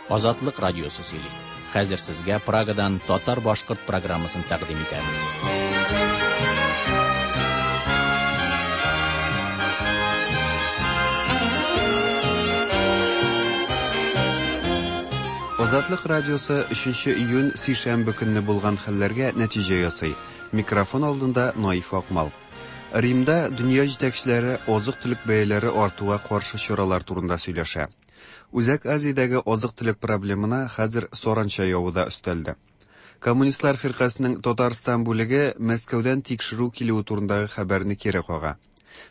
Азатлык радиосы сөйли. Хәзер сезгә Прагадан татар-башкорт программасын тәкъдим итәбез. Азатлык радиосы 3 июнь сишәмбе көнне булган хәлләргә нәтиҗә ясый. Микрофон алдында Наиф Акмал. Римда дөнья җитәкчеләре азык-төлек бәяләре артуга каршы чаралар турында сөйләшә. Үзәк Азиядәге азык-төлек проблемына хәзер саранча явы да өстәлде. Коммунистлар фиркасенең Татарстан бүлеге Мәскәүдән тикшерү килүе турындагы хәбәрне кире кага.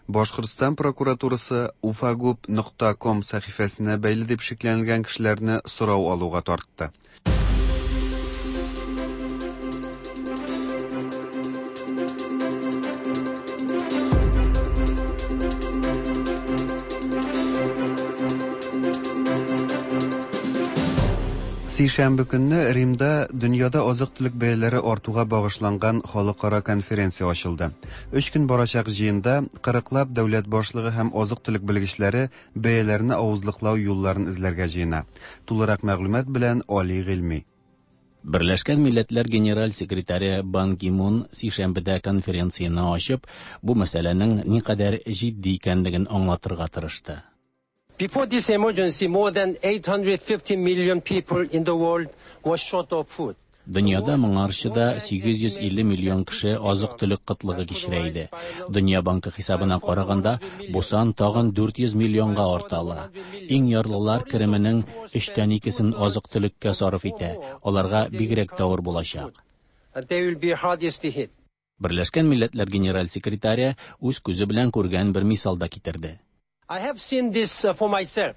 Башкортстан прокуратурасы уфагуб нокта ком сәхифәсенә бәйле дип шикләнелгән кешеләрне сорау алуга тартты. Сишәмбе көнне Римда дөньяда азык-төлек бәяләре артуга багышланган халыкара конференция ачылды. Өч көн барачак җыенда кырыклап дәүләт башлыгы һәм азык-төлек белгечләре бәяләрне авызлыклау юлларын эзләргә җыена. Тулырак мәгълүмат белән Али Гыйльми. Берләшкән Милләтләр Генераль секретаре Бан Ги Мун сишәмбедә конференцияне ачып, бу мәсьәләнең никадәр җитди икәнлеген аңлатырга тырышты. Before this emergency, more than 850 million people in the world were short of food. Дөньяда моңарчы да 850 миллион кеше азык-төлек кытлыгы кичерә иде. Дөнья банкы хисабына караганда, бу сан тагын 400 миллионга арта ала. Иң ярлылар кеременең өчтән икесен азык-төлеккә сарыф итә. Аларга бигрәк тә авыр булачак. They will be hardest hit. Берләшкән Милләтләр Генераль секретаре үз күзе белән күргән бер мисал да китерде. I have seen this for myself.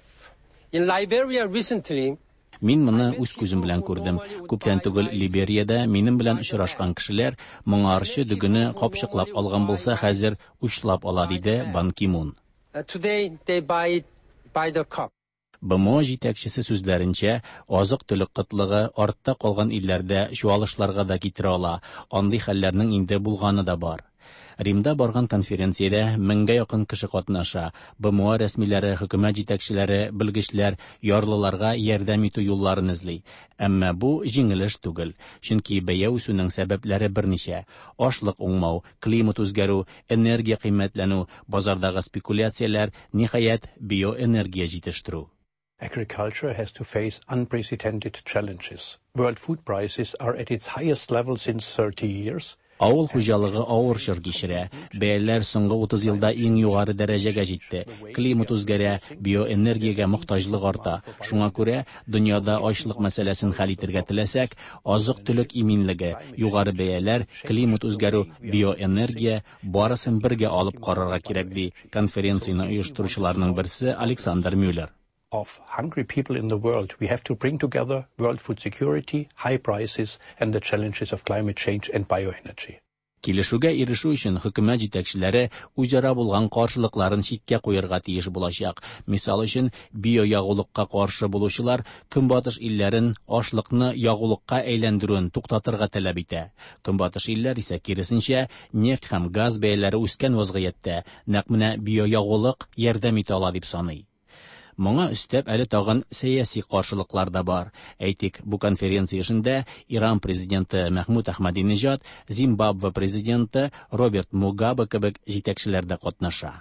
In Liberia recently, Мин моны үз күзем белән күрдем. Күптән түгел Либериядә минем белән очрашкан кешеләр моңарчы дөгене капчыклап алган булса, хәзер учлап ала, диде Бан Ки Мун. Today they buy it by the cup. БМО җитәкчесе сүзләренчә, азык-төлек кытлыгы артта калган илләрдә чуалышларга да китерә ала. Андый хәлләрнең инде булганы да бар. Римда барган конференциядә меңгә якын кеше катнаша. БМО рәсмиләре, хөкүмәт җитәкчеләре, белгечләр ярлыларга ярдәм итү юлларын эзли. Әмма бу җиңел эш түгел, чөнки бәя үсүнең сәбәпләре берничә: ашлык уңмау, климат үзгәрү, энергия кыйммәтләнү, базардагы спекуляцияләр, ниһаять, биоэнергия җитештерү. Agriculture has to face unprecedented challenges. World food prices are at its highest level since 30 years. Авыл хуҗалыгы авыр чор кичерә. Бәяләр соңгы 30 елда иң югары дәрәҗәгә җитте. Климат үзгәрә, биоэнергиягә мохтаҗлык арта. Шуңа күрә дөньяда ачлык мәсьәләсен хәл итәргә теләсәк, азык-төлек иминлеге, югары бәяләр, климат үзгәрү, биоэнергия барысын бергә алып карарга кирәк, ди конференцияне оештыручыларның берсе Александр Мюллер. Of hungry people in the world, we have to bring together world food security, high prices and the challenges of climate change and bioenergy. Килешүгә ирешү өчен хөкүмәт җитәкчеләре үзара булган каршылыкларын читкә куярга тиеш булачак. Мисал өчен, биоягулыкка каршы булучылар Көнбатыш илләрен ашлыкны ягулыкка әйләндерүен туктатырга таләп итә. Көнбатыш илләр исә киресенчә, нефть һәм газ бәяләре үскән вазгыятьтә нәкъ менә биоягулык ярдәм итә ала дип саный. Моңа өстәп әле тагын сәяси каршылыклар да бар. Әйтик, бу конференция эшендә Иран президенты Мәхмүд Әхмәдинежад, Зимбабве президенты Роберт Мугабе кебек җитәкчеләр дә катнаша.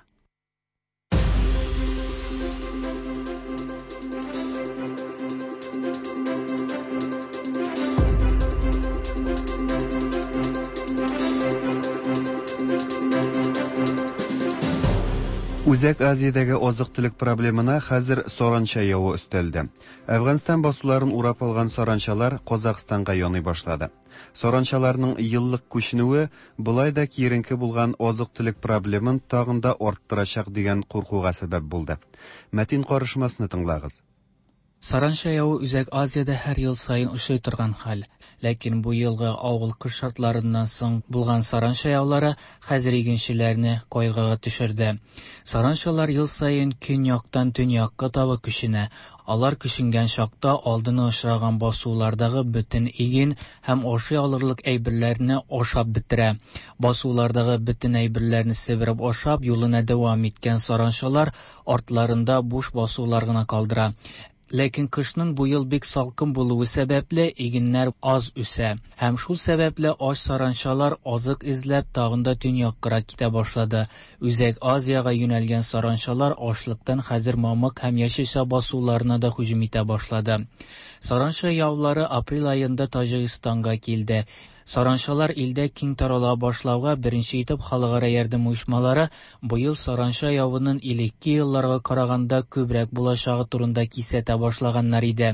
Үзәк Азиядәге азык-төлек проблемына хәзер саранча явы өстәлде. Әфганстан басуларын урап алган саранчалар Казахстанга яный башлады. Саранчаларның еллык күченүе болай да киеренке булган азык-төлек проблемын тагын да арттырачак дигән куркуга сәбәп булды. Мәтин карышмасны тыңлагыз. Саранча явы Үзәк Азиядә һәр ел саен очрый торган хәл. Ләкин бу елгы авыл кыш шартларыннан соң булган саранча яулары хәзер игенчеләрне кайгыга төшерде. Саранчалар ел саен көньяктан төньякка таба күченә. Алар күченгән чакта алдына очраган басулардагы бөтен иген һәм ашый алырлык әйберләрне ашап бетерә. Басулардагы бөтен әйберләрне себереп ашап, юлына дәвам иткән саранчалар артларында буш басулар гына калдыра. Ләкин кышның бу ел бик салкын булуы сәбәпле, игеннәр аз үсә. Һәм шул сәбәпле ач саранчалар азык эзләп тагын да төньяккарак китә башлады. Үзәк Азиягә юнәлгән саранчалар ачлыктан хәзер мамык һәм яшелчә басуларына да һөҗүм итә башлады. Саранча яулары апрель аенда Таҗикстанга килде. Саранчалар илдә киң тарала башлауга беренче итеп халыкара ярдәм оешмалары быел саранча явының элекке елларга караганда күбрәк булачагы турында кисәтә башлаганнар иде.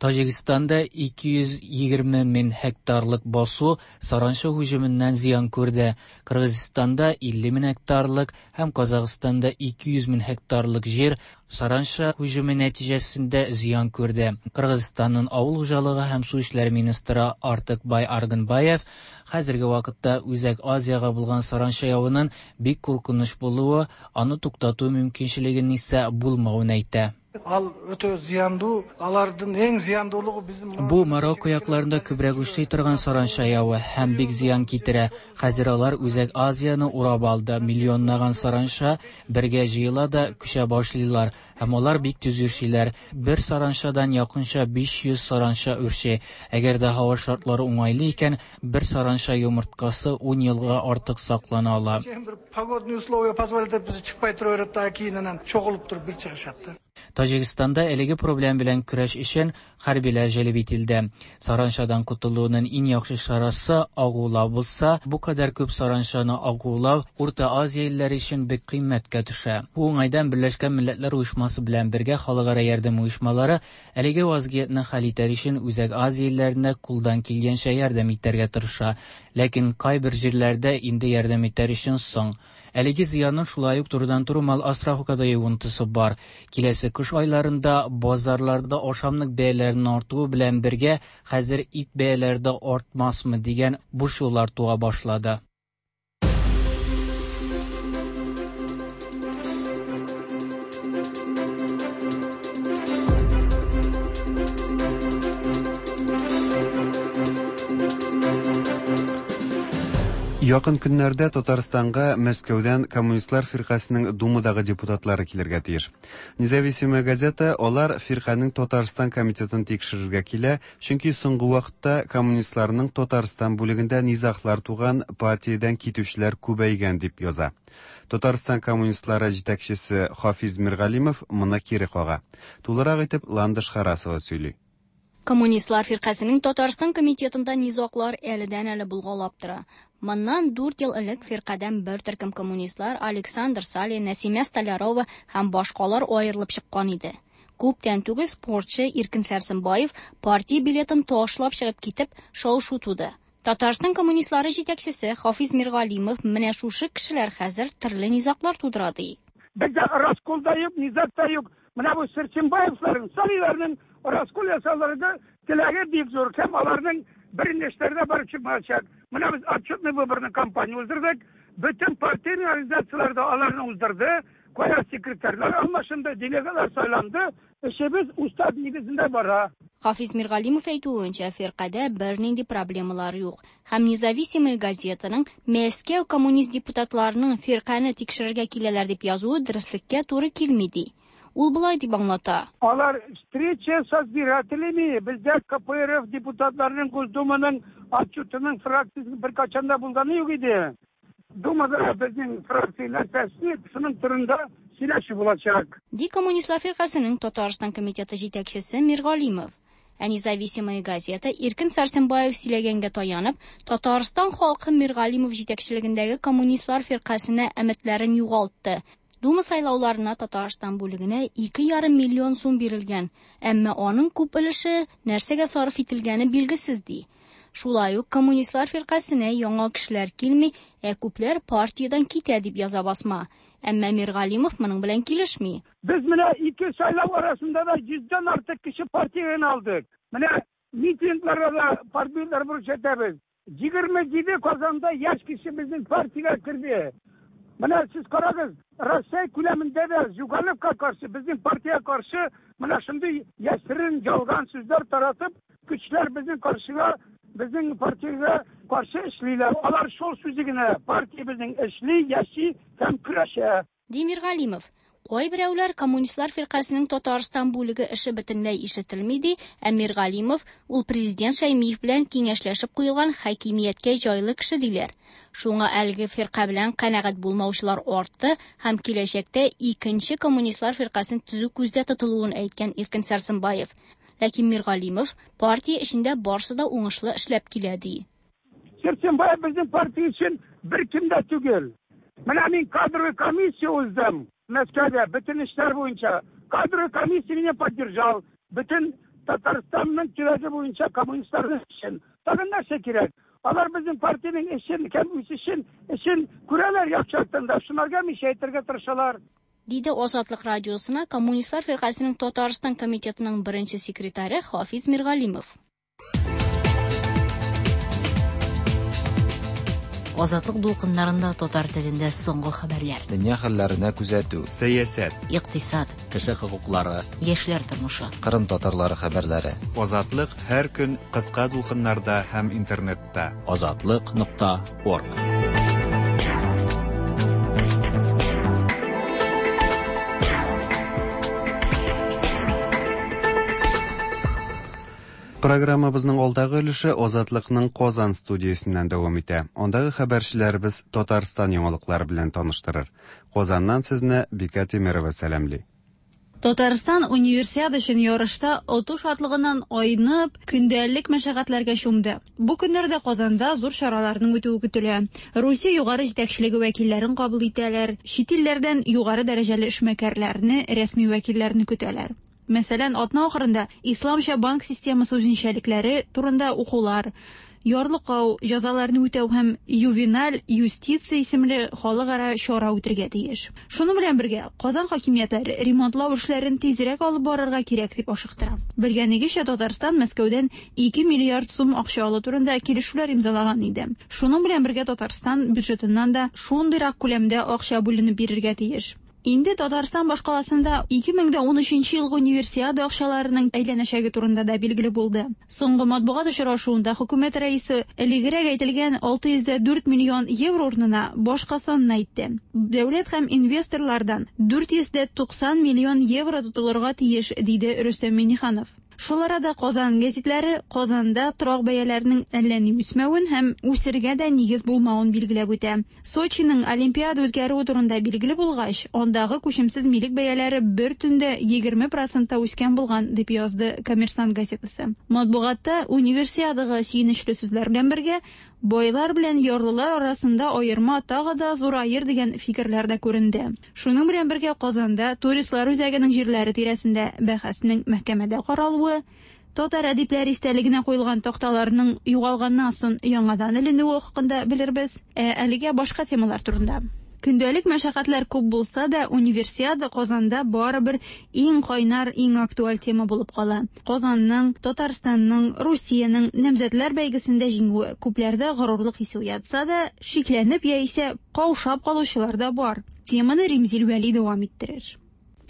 Таҗикстанда 220 мең гектарлык басу саранча һөҗүменнән зыян күрде. Кыргызстанда 50 мең гектарлык һәм Казахстанда 200 мең гектарлык җир саранча һөҗүме нәтиҗәсендә зыян күрде. Кыргызстанның авыл хуҗалыгы һәм су эшләре министры Артыкбай Аргынбаев хәзерге вакытта Үзәк Азиягә булган саранча явының бик куркыныч булуы, аны туктату мөмкинчелегенең исә булмавын әйтә. Ал өтө зыяндуу, алардын эң зыяндуулугу биздин Бу Марокко якларында күбрәк очрый торган саранча явы һәм бик зыян китерә. Хәзер алар Үзәк Азияне урап алды. Миллионлаган саранча бергә җыела да күчә башлыйлар һәм алар бик тиз үрчиләр. Бер саранчадан якынча 500 саранча үрчи. Әгәр дә һава шартлары уңайлы икән, бер саранча йомырткасы 10 елга артык саклана ала. Бир погодный условия позволит этпесе чыкпай тура берет да, кийин анан чогулуп туруп бир чыгышат да. Таҗикстанда әлеге проблем белән көрәш өчен хәрбиләр җәлеп ителде. Саранчадан котылуның иң яхшы чарасы агулау булса, бу кадәр күп саранчаны агулау Урта Азия илләре өчен бик кыйммәткә төшә. Бу уңайдан Берләшкән Милләтләр Оешмасы белән бергә халыкара ярдәм оешмалары әлеге вазгыятьне хәл итәр өчен Үзәк Азия илләренә кулдан килгәнчә ярдәм итәргә тырыша. Ләкин кайбер җирләрдә инде ярдәм итәр өчен соң. Әлеге зыянның шулай ук турыдан-туры мал асрауга да йогынтысы бар. Киләсе кыш айларында базарларда ашамлык бәяләренең артуы белән бергә хәзер ит бәяләре дә артмасмы дигән борчулар туа башлады. Якын көннәрдә Татарстанга Мәскәүдән Коммунистлар фиркасының Думадагы депутатлары килергә тиеш. Независимая газета алар фирканең Татарстан комитетын тикшерергә килә, чөнки соңгы вакытта коммунистларның Татарстан бүлегендә низаглар туган, партиядән китүчеләр күбәйгән дип яза. Татарстан коммунистлары җитәкчесе Хафиз Миргалимов моны кире кага. Тулырак итеп Ландыш Харасова сөйли. Коммунистлар фиркасының Татарстан комитетында низаглар әледән-әле булгалап тора. Моннан 4 ел элек фиркадән бер төркем коммунистлар Александр Салин, Нәсимә Столярова һәм башкалар аерылып чыккан иде. Күптән түгел спортчы Иркен Сәрсенбаев партия билетын ташлап чыгып китеп, шау-шу туды. Татарстан коммунистлары җитәкчесе Хафиз Миргалимов менә шушы кешеләр хәзер төрле низаглар тудыра ди. Бездә раскол да юк, низаг та юк. Менә бу Сәрсенбаевларның, Салиларның раскол ясауларында теләге бик зур һәм аларның берничәләрдә барып чыкмаячак. Менә без отчетный выборный кампания уздырдык. Бөтен партийный организацияләр дә аларны уздырды. Кая секретарьлар алмашынды, делегатлар сайланды. Эшебез устав нигезендә бара. Хафиз Миргалимов әйтүенчә, фиркадә бернинди проблемалар юк. Һәм Независимая газетаның Мәскәү коммунист депутатларының фиркане тикшерергә киләләр дип язуы дөреслеккә туры килми ди. Ул болай дип аңлата. Алар встреча с избирателями, бездә КПРФ депутатларының Госдуманың отчетының фракциясе беркайчан да булганы юк иде. Думада безнең фракция нәрсәсе, шуның турында сөйләшү булачак. Ди Коммунистлар фиркасының Татарстан комитеты җитәкчесе Миргалимов. Ә Независимая газета Иркен Сәрсенбаев сөйләгәнгә таянып, Татарстан халкы Миргалимов җитәкчелегендәге Коммунистлар фиркасына өметләрен югалтты. Дума сайлауларына Татарстан бүлегенә 2,5 миллион сум бирелгән, әмма аның күп өлеше нәрсәгә сарыф ителгәне билгесез ди. Шулай ук Коммунистлар фиркасына яңа кешеләр килми, ә күпләр партиядән китә дип яза басма. Әмма Миргалимов моның белән килешми. Без менә ике сайлау арасында да 100дән артык кеше партиядән алдык. Менә митингларда да партияләр күрсәтәбез. 27 Казанда яшь кеше безнең партиягә керде. Менә сез карагыз, Россия күләмендә дә Зюгановка каршы, безнең партиягә каршы менә шундый яшерен ялган сүзләр таратып, көчләр безнең каршыга, безнең партиягә каршы эшлиләр. Алар шул сүзе генә, партия безнең эшли, яши һәм көрәшә. Ди Миргалимов. Кайберәүләр Коммунистлар фиркасенең Татарстан бүлеге эше бөтенләй ишетелми ди, ә Миргалимов ул президент Шәймиев белән киңәшләшеп куелган хакимияткә җайлы кеше диләр. Шуңа әлеге фирка белән канәгать булмаучылар артты һәм киләчәктә икенче Коммунистлар фиркасен төзү күздә тотылуын әйткән Иркен Сәрсенбаев. Ләкин Миргалимов партия эчендә барсы да уңышлы эшләп килә ди. Сәрсенбаев безнең партия өчен беркем дә түгел. Менә мин кадровый комиссия уздым Мәскәүдә, бөтен эшләр буенча. Кадровый комиссия меня поддержал. Бөтен Татарстанның төбәге буенча коммунистларның эшен. Тагын нәрсә кирәк? Алар безнең партиянең эшен һәм үсешен, эшен күрәләр яхшы яктан да, шунарга мишәйтергә тырышалар. Диде Азатлык радиосына Коммунистлар фиркасенең Татарстан комитетының беренче секретаре Хафиз Миргалимов. Азатлык дулкыннарында татар телендә соңгы хәбәрләр. Дөнья хәлләренә күзәтү. Сәясәт. Икътисад. Кеше хокуклары. Яшьләр тормышы. Кырым татарлары хәбәрләре. Азатлык һәр көн кыска дулкыннарда һәм интернетта. Азатлык нокта орг. Программабызның алдагы өлеше Азатлыкның Казан студиясеннән дәвам итә. Андагы хәбәрчеләребез Татарстан яңалыклары белән таныштырыр. Казаннан сезне Бикә Тимерова сәламли. Татарстан универсиада өчен ярышта оту шатлыгыннан айнып, көндәлек мәшәкатьләргә чумды. Бу көннәрдә Казанда зур чараларның үтүе көтелә. Русия югары җитәкчелеге вәкилләрен кабул итәләр, чит илләрдән югары дәрәҗәле эшмәкәрләрне, рәсми вәкилләрне көтәләр. Мәсәлән, атна ахырында исламча банк системасы үзенчәлекләре турында укулар, ярлыкау, җәзаларны үтәү һәм ювеналь юстиция исемле халыкара чара үтергә тиеш. Шуның белән бергә Казан хакимиятләре ремонтлау эшләрен тизрәк алып барырга кирәк дип ашыктыра. Белгәнегезчә, Татарстан Мәскәүдән 2 миллиард сум акча алу турында килешүләр имзалаган иде. Шуның белән бергә Татарстан бюджетыннан да шундыйрак күләмдә акча бүленеп бирергә тиеш. Инде Татарстан башкаласында 2013 елгы универсиада акчаларының әйләнәчәге турында да билгеле булды. Соңгы матбугат очрашуында хөкүмәт рәисе элегрәк әйтелгән 604 миллион евро урынына башка санны әйтте. Дәүләт һәм инвесторлардан 490 миллион евро тотылырга тиеш, диде Рөстәм Миңнеханов. Шул арада Казан гәзитләре Казанда торак бәяләренең әллә ни үсмәвен һәм үсергә дә нигез булмавын билгеләп үтә. Сочиның Олимпиада үткәрүе турында билгеле булгач, андагы күчемсез милек бәяләре бер төндә 20% үскән булган, дип язды Коммерсант газетасы. Матбугатта универсиадага сөенечле сүзләр белән бергә байлар белән ярлылар арасында аерма тагы да зураер дигән фикерләр дә күренде. Шуның белән бергә Казанда туристлар үзәгенең җирләре тирәсендә бәхәснең мәхкәмәдә каралуы, татар әдипләр истәлегенә куелган такталарның югалганнан соң яңадан эленүе хакында белербез. Ә әлегә башка темалар турында. Көндәлек мәшәкатьләр күп булса да, универсиада Казанда барыбер иң кайнар, иң актуаль тема булып кала. Казанның, Татарстанның, Русиянең намзәтләр бәйгесендә җиңүе күпләрдә горурлык хисе уятса да, шикләнеп яисә каушап калучылар да бар. Теманы Римзил Вәли дәвам иттерер.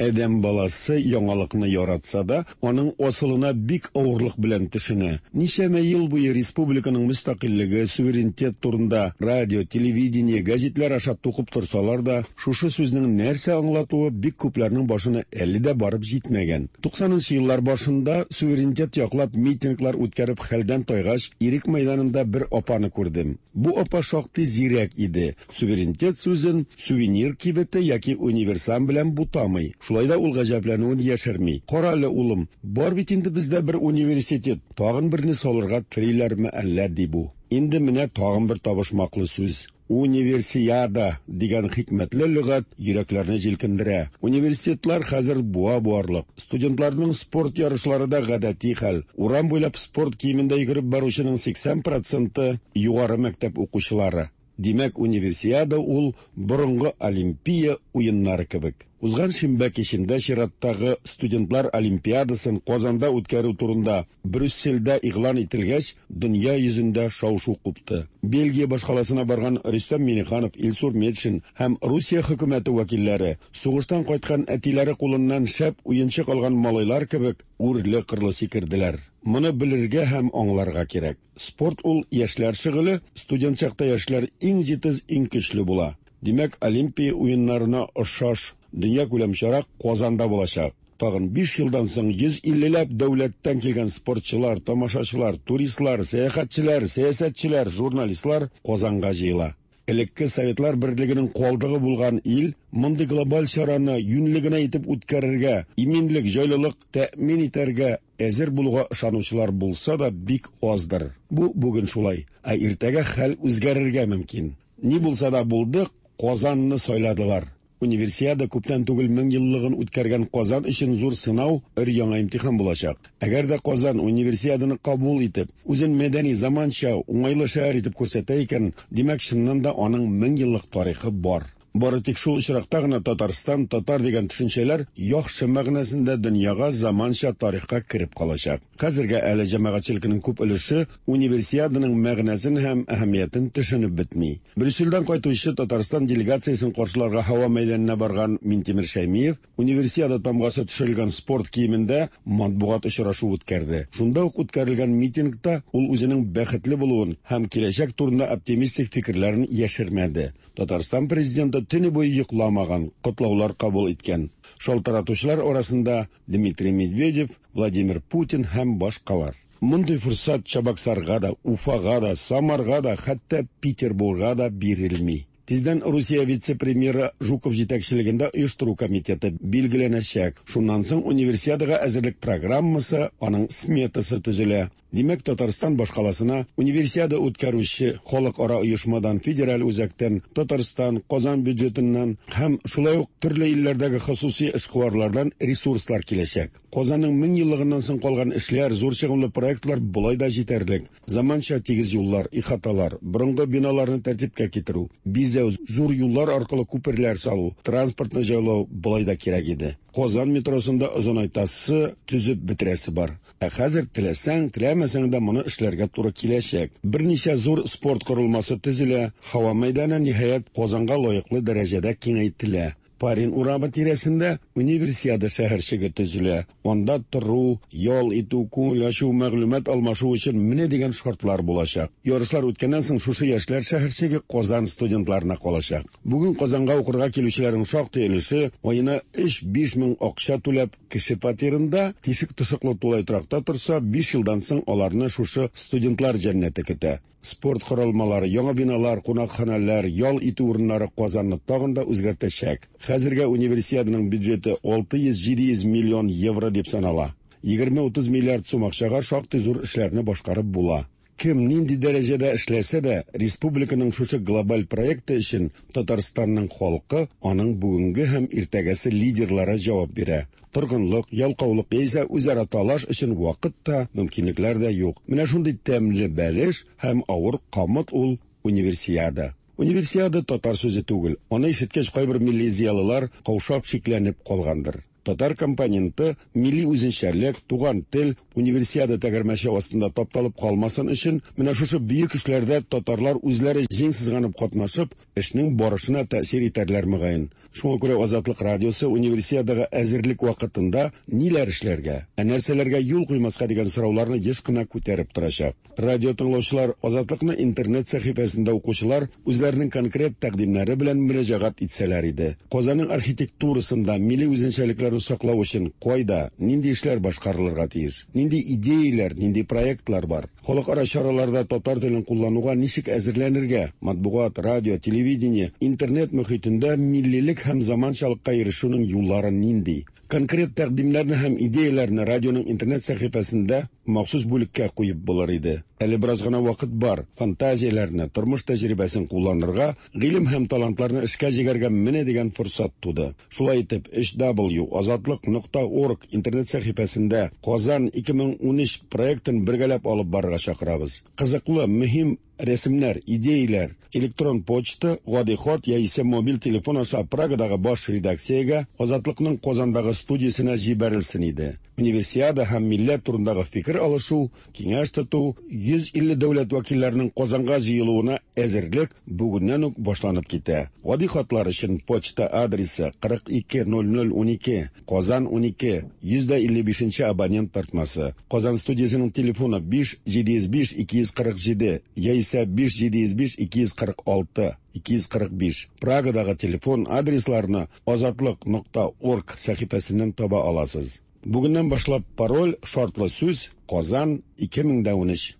Адәм баласы яңалыкны яратса да, аның асылына бик авырлык белән төшенә. Ничәмә ел буе республиканың мөстәкыйльлеге, суверенитет турында радио, телевидение, гәзитләр аша тукып торсалар да, шушы сүзнең нәрсә аңлатуы бик күпләрнең башына әле дә барып җитмәгән. 90нчы еллар башында суверенитет яклап митинглар үткәреп хәлдән тайгач, Ирек мәйданында бер апаны күрдем. Бу апа шактый зирәк иде. Суверенитет сүзен сувенир кибете яки универсам белән бутамый. Шулай да ул гаҗәпләнүен яшерми. Кара әле, улым, бар бит инде бездә бер университет, тагын берне салырга телиләрме әллә, ди бу. Инде менә тагын бер табышмаклы сүз. Универсиада дигән хикмәтле лөгать йөрәкләрне җилкендерә. Университетлар хәзер буа буарлык. Студентларның спорт ярышлары да гадәти хәл. Урам буйлап спорт киемендә йөгереп баручының 80% югары мәктәп укучылары. Димәк, универсиада ул борынгы Олимпия уеннары кебек. Узган шимбә кичендә чираттагы студентлар олимпиадасын Казанда үткәрү турында Брюссельдә игълан ителгәч, дөнья йөзендә шау-шу купты. Бельгия башкаласына барган Рөстәм Миңнеханов, Илсур Метшин һәм Русия хөкүмәте вәкилләре сугыштан кайткан әтиләре кулыннан шәп уенчык алган малайлар кебек үрле-кырлы сикерделәр. Моны белергә һәм аңларга кирәк. Спорт ул яшьләр шөгыле, студент чакта яшьләр иң җитез, иң көчле була. Димәк, Олимпия уеннарына охшаш Дөньякүләм чара Казанда булачак. Тагын 5 елдан соң 150 ләп дәүләттән килгән спортчылар, тамашачылар, туристлар, сәяхәтчеләр, сәясәтчеләр, журналистлар Казанга җыела. Элекке Советлар Берлегенең калдыгы булган ил мондый глобаль чараны юньле генә итеп үткәрергә, иминлек, җайлылык тәэмин итәргә әзер булуга ышанучылар булса да бик аздыр. Бу бүген шулай, ә иртәгә хәл үзгәрергә мөмкин. Ни булса да булды, Казанны сайладылар. Универсиада күптән түгел 1000 еллыгын үткәргән Казан өчен зур сынау, өр-яңа имтихан булачак. Әгәр дә Казан Универсиаданы кабул итеп, үзен мәдәни, заманча, уңайлы шәһәр итеп күрсәтә икән, димәк, чыннан да аның 1000 еллык тарихы бар. Бары тик шул очракта гына Татарстан, татар дигән төшенчәләр яхшы мәгънәсендә дөньяга, заманча тарихка кереп калачак. Хәзергә әле җәмәгатьчелекнең күп өлеше Универсиаданың мәгънәсен һәм әһәмиятен төшенеп бетми. Брюссельдән кайтучы Татарстан делегациясен каршыларга һава мәйданына барган Минтимер Шәймиев Универсиада тамгасы төшерелгән спорт киемендә матбугат очрашуы үткәрде. Шунда ук үткәрелгән митингта ул үзенең бәхетле булуын һәм киләчәк турында оптимистик фикерләрен яшермәде. Татарстан Президенты төне буе йокламаган, котлаулар кабул иткән. Шалтыратучылар арасында Дмитрий Медведев, Владимир Путин һәм башкалар. Мондый форсат Чабаксарга да, Уфага да, Самарга да, хәтта Петербурга да бирелми. Тиздән Русия вице-премьеры Жуков җитәкчелегендә оештыру комитеты билгеләнәчәк. Шуннан соң Универсиадага әзерлек программасы, аның сметасы төзелә. Димәк, Татарстан башкаласына Универсиада үткәрүче халыкара оешмадан, федераль үзәктән, Татарстан, Казан бюджетыннан һәм шулай ук төрле илләрдәге хосуси эшкуарлардан ресурслар киләчәк. Казанның 1000 еллыгыннан соң калган эшләр, зур чыгымлы проектлар болай да җитәрлек. Заманча тигез юллар, ихаталар, борынгы биналарны тәртипкә китерү, бизәү, зур юллар аркылы күперләр салу, транспортны җайлау болай да кирәк иде. Казан метросын да озынайтасы, төзеп бетерәсе бар. Ә хәзер теләсәң, теләмәсәң дә моны эшләргә туры киләчәк. Берничә зур спорт корылмасы төзелә, һава мәйданы, ниһаять, Казанга лаеклы дәрәҗәдә киңәйтелә. Парин урамы тирәсендә Универсиада шәһәрчеге төзелә. Анда тору, ял итү, күңел ачу, мәгълүмат алмашу өчен менә дигән шартлар булачак. Ярышлар үткәннән соң шушы яшьләр шәһәрчеге Казан студентларына калачак. Бүген Казанга укырга килүчеләрнең шактый өлеше аена 3-5 мең акча түләп кеше фатирында, тишек-тошыклы тулай торакта торса, 5 елдан соң аларны шушы студентлар җәннәте көтә. Спорт корылмалары, яңа биналар, кунакханәләр, ял итү урыннары Казанны тагын да үзгәртәчәк. Хәзергә Универсиаданың бюджеты 600-700 миллион евро дип санала. 20-30 миллиард сум акчага шактый зур эшләрне башкарып була. Кем нинди дәрәҗәдә эшләсә дә, республиканың шушы глобаль проекты өчен Татарстанның халкы, аның бүгенге һәм иртәгәсе лидерлары җавап бирә. Торгынлык, ялкаулык яисә үзара талаш өчен вакыт та, мөмкинлекләр дә юк. Менә шундый тәмле бәлеш һәм авыр камыт ул Универсиада. Универсиада татар сүзе түгел. Аны ишеткәч кайбер милли зыялылар каушап шикләнеп калгандыр. Татар компоненты, милли үзенчәлек, туган тел Универсиада тәгәрмәче астында тапталып калмасын өчен, менә шушы бөек эшләрдә татарлар үзләре җиң сызганып катнашып, эшнең барышына тәэсир итәрләр мөгаен. Шуңа күрә Азатлык радиосы Универсиадага әзерлек вакытында ниләр эшләргә, ә нәрсәләргә юл куймаска дигән сорауларны еш кына күтәреп торачак. Радио тыңлаучылар, Азатлыкны интернет сәхифәсендә укучылар үзләренең конкрет тәкъдимнәре белән мөрәҗәгать итсәләр иде. Казанның архитектурасында милли үзенчәлекләрне саклау өчен кайда, нинди эшләр башкарылырга тиеш? Нинди идеяләр, нинди проектлар бар? Халыкара чараларда татар телен куллануга ничек әзерләнергә? Матбугат, радио, телевидение, интернет мөхитендә миллилек һәм заманчалыкка ирешүнең юллары нинди? Конкрет тәкъдимнәрне һәм идеяләрне радионың интернет сәхифәсендә махсус бүлеккә куеп булыр иде. Әле бераз гына вакыт бар, фантазияләрне, тормыш тәҗрибәсен кулланырга, гыйлем һәм талантларны эшкә җигәргә менә дигән форсат туды. Шулай итеп, www.azatliq.org интернет сәхифәсендә Казан 2013 проектын бергәләп алып барырга чакырабыз. Кызыклы, мөһим рәсемнәр, идеяләр, электрон почта, гади хат яисә мобиль телефон аша Прагадагы баш редакциягә, Азатлыкның Казандагы студиясенә җибәрелсен иде. Универсиада һәм милләт турындагы фикер алышу, киңәш тоту, 150 дәүләт вәкилләренең Казанга җыелуына әзерлек бүгеннән үк башланып китә. Гади хатлар өчен почта адресы 420012, Казан 12, 155 нче абонент тартмасы. Казан студиясенең телефоны 5 705 247 яисә 5 705 246 245. Прагадагы телефон адресларны Азатлык нокта орг сәхифәсеннән таба аласыз. Бүгеннән башлап пароль, шартлы сүз, Казан 2013.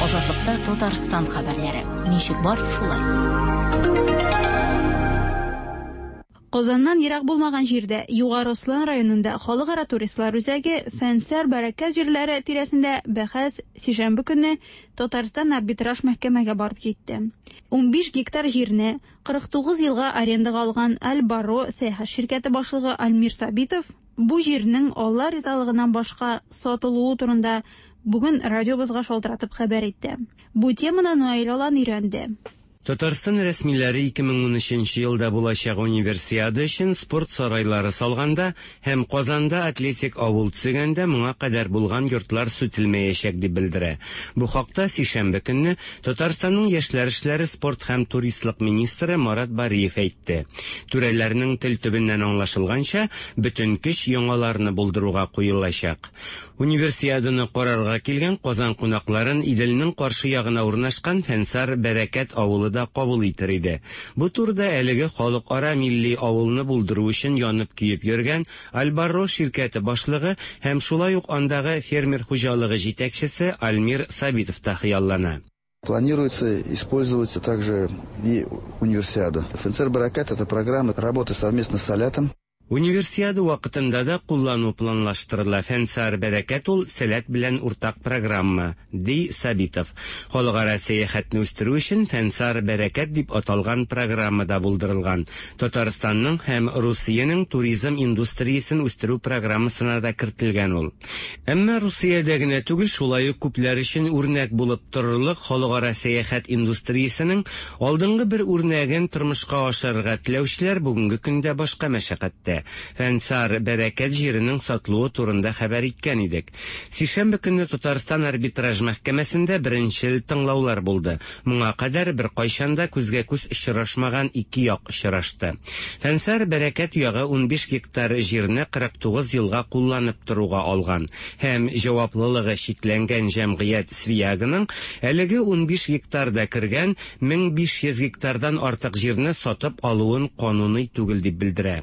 Азатлыкта Татарстан хәбәрләре. Ничек бар, шулай. Казаннан ерак булмаган җирдә, Югары Ослан районында халыкара туристлар үзәге Фәнсәр Бәрәкәт җирләре тирәсендә бәхәс сишәмбе көнне Татарстан арбитраж мәхкәмәгә барып җитте. 15 гектар җирне 49 елга арендага алган Аль-Баро сәяхәт ширкәте башлыгы Альмир Сабитов бу җирнең Алла ризалыгыннан башка сатылуы турында бүген радиобызга шалтыратып хәбәр итте. Бу теманы Наил Алан өйрәнде. Татарстан рәсмиләре 2013 нче елда булачак Универсиада өчен спорт сарайлары салганда һәм Казанда атлетик авыл төзегәндә моңа кадәр булган йортлар сүтелмәячәк дип белдерә. Бу хакта сишәмбе көнне Татарстанның яшьләр эшләре, спорт һәм туристлык министры Марат Бариев әйтте. Түрәләрнең тел төбеннән аңлашылганча, бөтен көч яңаларны булдыруга куелачак. Универсиаданы карарга килгән Казан кунакларын Иделнең каршы ягына урнашкан Фәнсар Бәрәкәт авылы да кабул итер иде. Бу турыда әлеге халыкара милли авылны булдыру өчен янып-көеп йөргән Альбарро ширкәте башлыгы һәм шулай ук андагы фермер хуҗалыгы җитәкчесе Альмир Сабитов та хыяллана. Планируется использовать также и универсиаду. Фнцр Баракат это программа работы совместно с Салятом. Универсиада вакытында да куллану планлаштырыла. Фәнсар Бәрәкәт ул Сәләт белән уртак программа, ди Сабитов. Халыкара сәяхәтне үстерү өчен Фәнсар Бәрәкәт дип аталган программа да булдырылган. Татарстанның һәм Русиянең туризм индустриясен үстерү программасына да кертелгән ул. Әмма Русиядә генә түгел, шулай ук күпләр өчен үрнәк булып торырлык халыкара сәяхәт индустриясенең алдынгы бер үрнәген тормышка ашырырга теләүчеләр бүгенге көндә башка мәшәкатьтә. Фәнсар Бәрәкәт җиренең сатылуы турында хәбәр иткән идек. Сишәмбе көнне Татарстан арбитраж мәхкәмәсендә беренчел тыңлаулар булды. Моңа кадәр беркайчан да күзгә-күз очрашмаган ике як очрашты. Фәнсар Бәрәкәт ягы 15 гектар җирне 49 елга кулланып торуга алган һәм җаваплылыгы чикләнгән җәмгыять Свияганың әлеге 15 гектарда кергән 1500 гектардан артык җирне сатып алуын кануный түгел дип белдерә.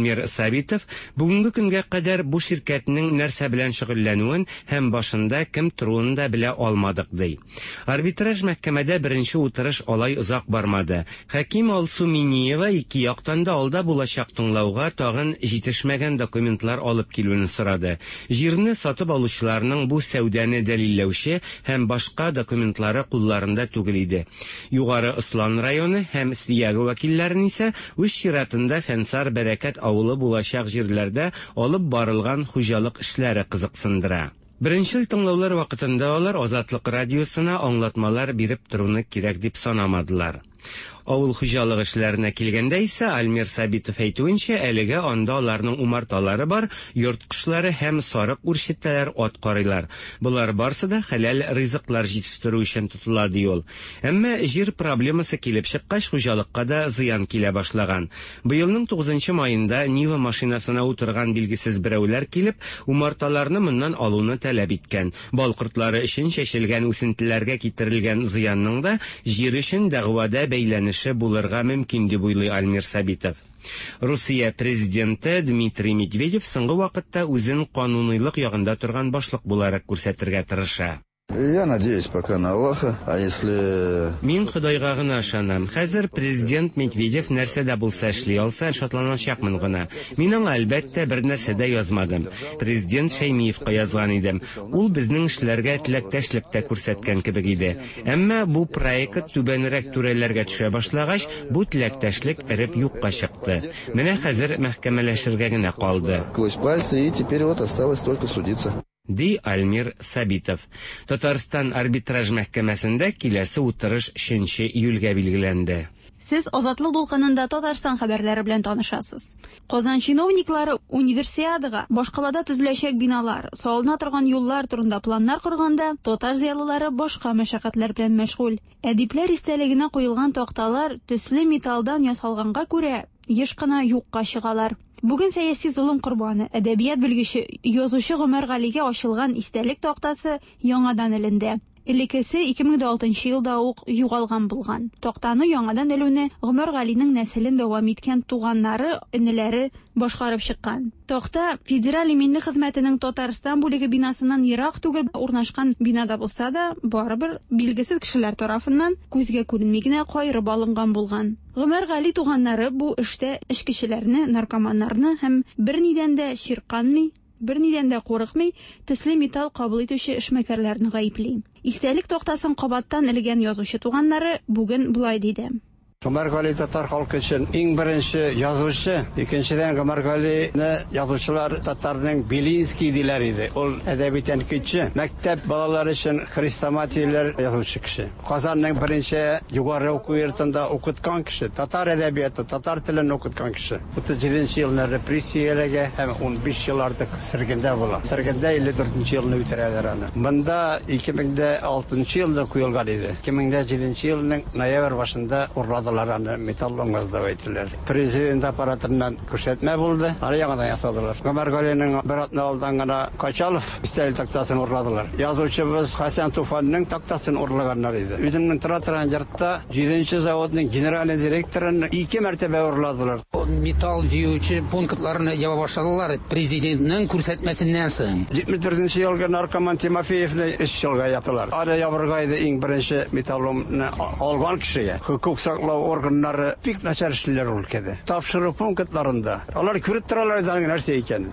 Альмир Сабитов бүгенге көнгә кадәр бу ширкәтнең нәрсә белән шөгыльләнүен һәм башында кем торуын да белә алмадык, ди. Арбитраж мәхкәмәдә беренче утырыш алай озак бармады. Хаким Алсу Миниева ике яктан да алда булачак тыңлауга тагын җитешмәгән документлар алып килүне сорады. Җирне сатып алучыларның бу сәүдәне дәлилләүче һәм башка документлары кулларында түгел иде. Югары Ослан районы һәм Свияга вәкилләрен исә үз чиратында Фәнсар Бәрәкәт авылы булачак җирләрдә алып барылган хуҗалык эшләре кызыксындыра. Беренчел тыңлаулар вакытында алар Азатлык радиосына аңлатмалар биреп торуны кирәк дип санамадылар. Авыл хуҗалыгы эшләренә килгәндә исә, Альмир Сабитов әйтүенчә, әлегә анда аларның умарталары бар, йорт кошлары һәм сарык үрчетәләр, ат карыйлар. Болар барсы да хәләл ризыклар җитештерү өчен тотыла, ди ул. Әмма җир проблемасы килеп чыккач, хуҗалыкка да зыян килә башлаган. Быелның тугызынчы маенда Нива машинасына утырган билгесез берәүләр килеп, умарталарны моннан алуны таләп иткән. Бал кортлары өчен чәчелгән үсентеләргә китерелгән зыянның да җир өчен дәгъвада бәйләнеше булырга мөмкин, дип уйлый Альмир Сабитов. Русия президенты Дмитрий Медведев соңгы вакытта үзен кануныйлык ягында торган башлык буларак күрсәтергә тырыша. Я надеюсь пока на Аллаха, а если... Мин Ходайга гына ышанам. Хәзер президент Медведев нәрсә дә булса эшли алса, шатланачакмын гына. Мин аңа, әлбәттә, бернәрсә дә язмадым. Президент Шәймиевка язган идем. Ул безнең эшләргә теләктәшлек тә күрсәткән кебек иде. Әмма бу проект түбәнрәк түрәләргә төшә башлагач, бу теләктәшлек эреп юкка чыкты. Менә хәзер мәхкәмәләшергә генә калды. Сквозь пальцы, и теперь вот осталось только судиться. Ди Альмир Сабитов. Татарстан арбитраж мәхкәмәсендә киләсе утырыш өченче июльгә билгеләнде. Сез Азатлык дулкынында Татарстан хәбәрләре белән танышасыз. Казан чиновниклары Универсиадага башкалада төзеләчәк биналар, салына торган юллар турында планнар корганда, татар зыялылары башка мәшәкатьләр белән мәшгуль. Әдипләр истәлегенә куелган такталар төсле металлдан ясалганга күрә, еш кына юкка чыгалар. Бүген сәяси золым корбаны, әдәбият белгече, язучы Гомәр Галигә ачылган истәлек тактасы яңадан эленде. Элеккесе 2006 елда ук югалган булган. Тактаны яңадан элүне Гомәр Галинең нәселен дәвам иткән туганнары, энеләре башкарып чыккан. Такта Федераль иминлек хезмәтенең Татарстан бүлеге бинасыннан ерак түгел урнашкан бинада булса да, барыбер билгесез кешеләр тарафыннан күзгә күренми генә каерып алынган булган. Гомәр Гали туганнары бу эштә эчкечеләрне, наркоманнарны һәм бернидән дә чирканмый, бернидән дә курыкмый, төсле металл кабул итүче эшмәкәрләрне гаепли. Истәлек тактасын кабаттан элгән язучы туганнары бүген болай диде. Гомәр Гали татар халкы өчен иң беренче язучы. Икенчедән, Гомәр Галине язучылар татарның Белинский диләр иде. Ул әдәби тәнкыйтьче, мәктәп балалары өчен хрестоматияләр язучы кеше. Казанның беренче югары уку йортында укыткан кеше, татар әдәбияты, татар телен укыткан кеше. 37 нче елны репрессияләгә һәм 15 ел артык сөргендә була. Сөргендә 54 нче елны үтерәләр аны. Монда 2006 елны куелган иде. 2007 елның ноябрь башында урладылар аны, металлоломга сдавать иттеләр. Президент аппаратыннан күрсәтмә булды, аны яңадан ясадылар. Гомәр Галинең бер атна алдан гына Качалов истәлек тактасын урладылар. Язучыбыз Хәсән Туфанның тактасын урлаганнар иде. Үземнең тора торган йортта җиденче заводның генеральный директорын ике мәртәбә урладылар. Металл җыючы пунктларны яба башладылар президентның күрсәтмәсеннән соң. 74 нче елгы наркоман Тимофеевны өч елга яптылар. Аны ябырга иде иң беренче металломны алган кешегә. Хокук саклау органнары бик начар эшлиләр ул өлкәдә. Тапшыру пунктларында алар күреп торалар иде аның нәрсә икәнен.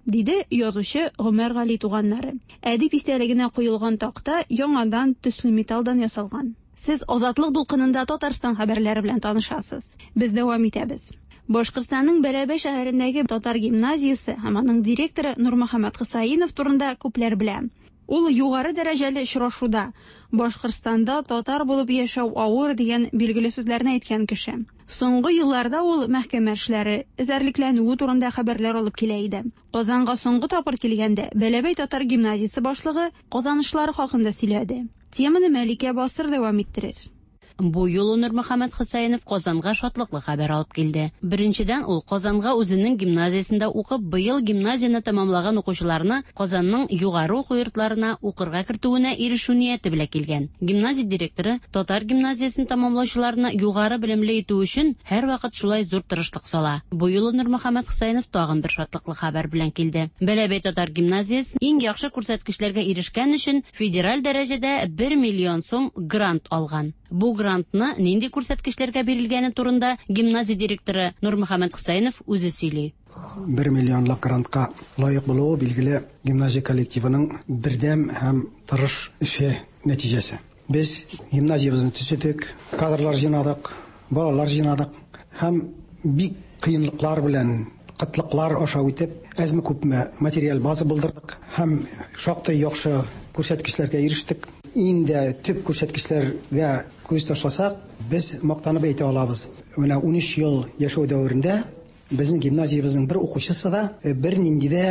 Диде язучы Гомәр Гали туганнары. Әдип истәлегенә куелган такта яңадан төсле металлдан ясалган. Сез Азатлык дулкынында Татарстан хәбәрләре белән танышасыз. Без дәвам итәбез. Башкортстанның Бәләбәй шәһәрендәге татар гимназиясе һәм аның директоры Нурмөхәммәт Хөсәенов турында күпләр белә. Ул югары дәрәҗәле очрашуда Башкортстанда татар булып яшәү авыр дигән билгеле сүзләрне әйткән кеше. Соңгы елларда ул мәхкәмә эшләре, эзәрлекләнүе турында хәбәрләр алып килә иде. Казанга соңгы тапкыр килгәндә Бәләбәй татар гимназиясе башлыгы казанышлары хакында сөйләде. Теманы Мәликә Басыр дәвам иттерер. Бу юлы Нурмөхәммәт Хөсәенов Казанга шатлыклы хәбәр алып килде. Беренчедән, ул Казанга үзенең гимназиясендә укып, быел гимназияне тәмамлаган укучыларны Казанның югары уку йортларына укырга кертүенә ирешү нияте белән килгән. Гимназия директоры татар гимназиясен тәмамлаучыларны югары белемле итү өчен һәрвакыт шулай зур тырышлык сала. Бу юлы Нурмөхәммәт Хөсәенов тагын бер шатлыклы хәбәр белән килде. Бәләбәй татар гимназиясе иң яхшы күрсәткечләргә ирешкән өчен федераль дәрәҗәдә бер миллион сум грант алган. Бу грантны нинди күрсәткечләргә бирелгәне турында гимназия директоры Нурмөхәммәт Хөсәенов үзе сөйли. Бер миллионлык грантка лаек булуы, билгеле, гимназия коллективының бердәм һәм тырыш эше нәтиҗәсе. Без гимназиябезне төзедек, кадрлар җыйнадык, балалар җыйнадык һәм бик кыенлыклар белән, кытлыклар аша үтеп, әзме-күпме материаль база булдырдык һәм шактый яхшы күрсәткечләргә ирештек. Иң дә төп күрсәткечләргә күз ташласак, без мактанып әйтә алабыз, менә 13 ел яшәү дәверендә безнең гимназиябезнең бер укучысы да бернинди дә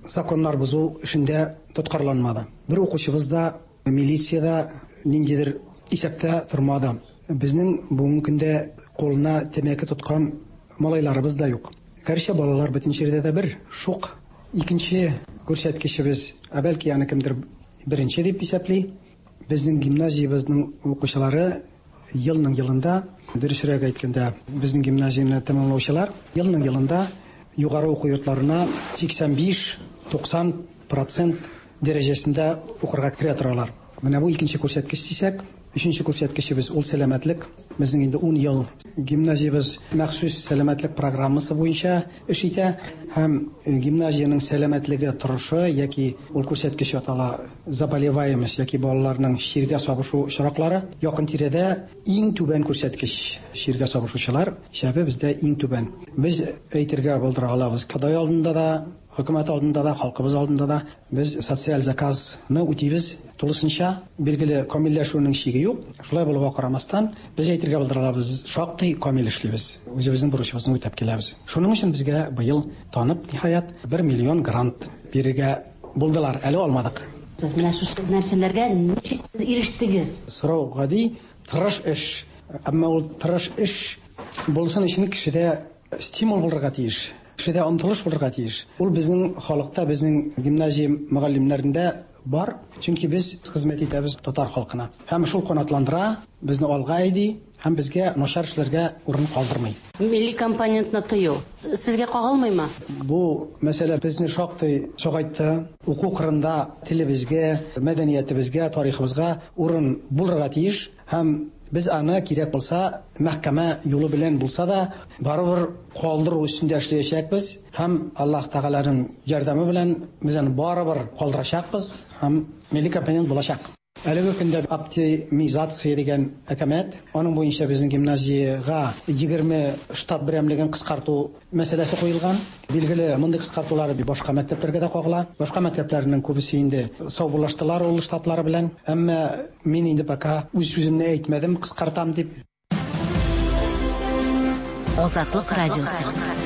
законнар бозу эшендә тоткарланмады. Бер укучыбыз да милициядә ниндидер исәптә тормады. Безнең бүгенге көндә кулына тәмәке тоткан малайларыбыз да юк. Гәрчә балалар бөтен җирдә дә бер, шук. Икенче күрсәткечебез, ә бәлки аны кемдер беренче дип исәпли, безнең гимназиябезнең укучылары елның елында, дөресрәк әйткәндә, безнең гимназияне тәмамлаучылар елның елында югары уку йортларына 85-90 процент дәрәҗәсендә укырга керә торалар. Менә бу икенче күрсәткеч дисәк, өченче күрсәткечебез ул сәламәтлек. Безнең инде 10 ел гимназиябез махсус сәламәтлек программасы буенча эш итә һәм гимназиянең сәламәтлеге торышы яки ул күрсәткеч атала заболеваемость яки балаларның чиргә сабышу очраклары якын тирәдә иң түбән күрсәткеч чиргә сабышучылар исәбе бездә иң түбән. Без әйтергә булдыра алабыз, Ходай алдында да, Хөкүмәт алдында да, халкыбыз алдында да без социаль заказны үтибез тулысынча. Билгеле, камилләшүнең чиге юк. Шулай булуга карамастан, без әйтергә булдыра алабыз, без шактый камил эшлибез. Үзебезнең бурычыбызны үтәп киләбез. Шуның өчен безгә быел танып, ниһаять, 1 миллион грант бирергә булдылар. Әле алмадык. Сез менә шушы нәрсәләргә ничек ирештегез? Сорау гади, тырыш эш. Әмма ул тырыш эш булсын өчен кешедә стимул булырга тиеш. Кешедә омтылыш булырга тиеш. Ул безнең халыкта, безнең гимназия мөгаллимнәрендә бар. Чөнки без хезмәт итәбез татар халкына. Һәм шул канатландыра, безне алга әйди һәм безгә начар эшләргә урын калдырмый. Милли компонентны тыю сезгә кагылмыймы? Бу мәсьәлә безне шактый сагайтты. Уку кырында телебезгә, мәдәниятебезгә, тарихыбызга урын булырга тиеш һәм без аны кирәк булса, мәхкәмә юлы белән булса да, барыбер калдыру өстендә эшләячәкбез һәм Аллаһ Тәгаләнең ярдәме белән без аны барыбер калдырачакбыз һәм милли компонент булачак. Әлеге көндә оптимизация дигән әкәмәт, аның буенча безнең гимназиягә 20 штат берәмлеген кыскарту мәсьәләсе куелган. Билгеле, мондый кыскартулар башка мәктәпләргә дә кагыла. Башка мәктәпләрнең күбесе инде саубуллаштылар ул штатлары белән. Әмма мин инде пока үз сүземне әйтмәдем, кыскартам дип. Азатлык радиосы.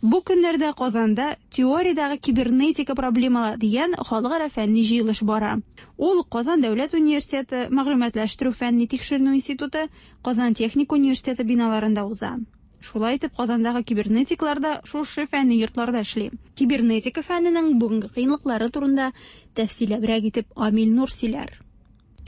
Бу көннәрдә Казанда теориядәге кибернетика проблемалары дигән халыкара фәнни җыелыш бара. Ул Казан дәүләт университеты, Мәгълүматлаштыру фәнни тикшеренү институты, Казан техник университеты биналарында уза. Шулай итеп, Казандагы кибернетиклар да шушы фәнни йортларда эшли. Кибернетика фәненең бүгенге кыенлыклары турында тәфсилләбрәк итеп Амил Нур сөйләр.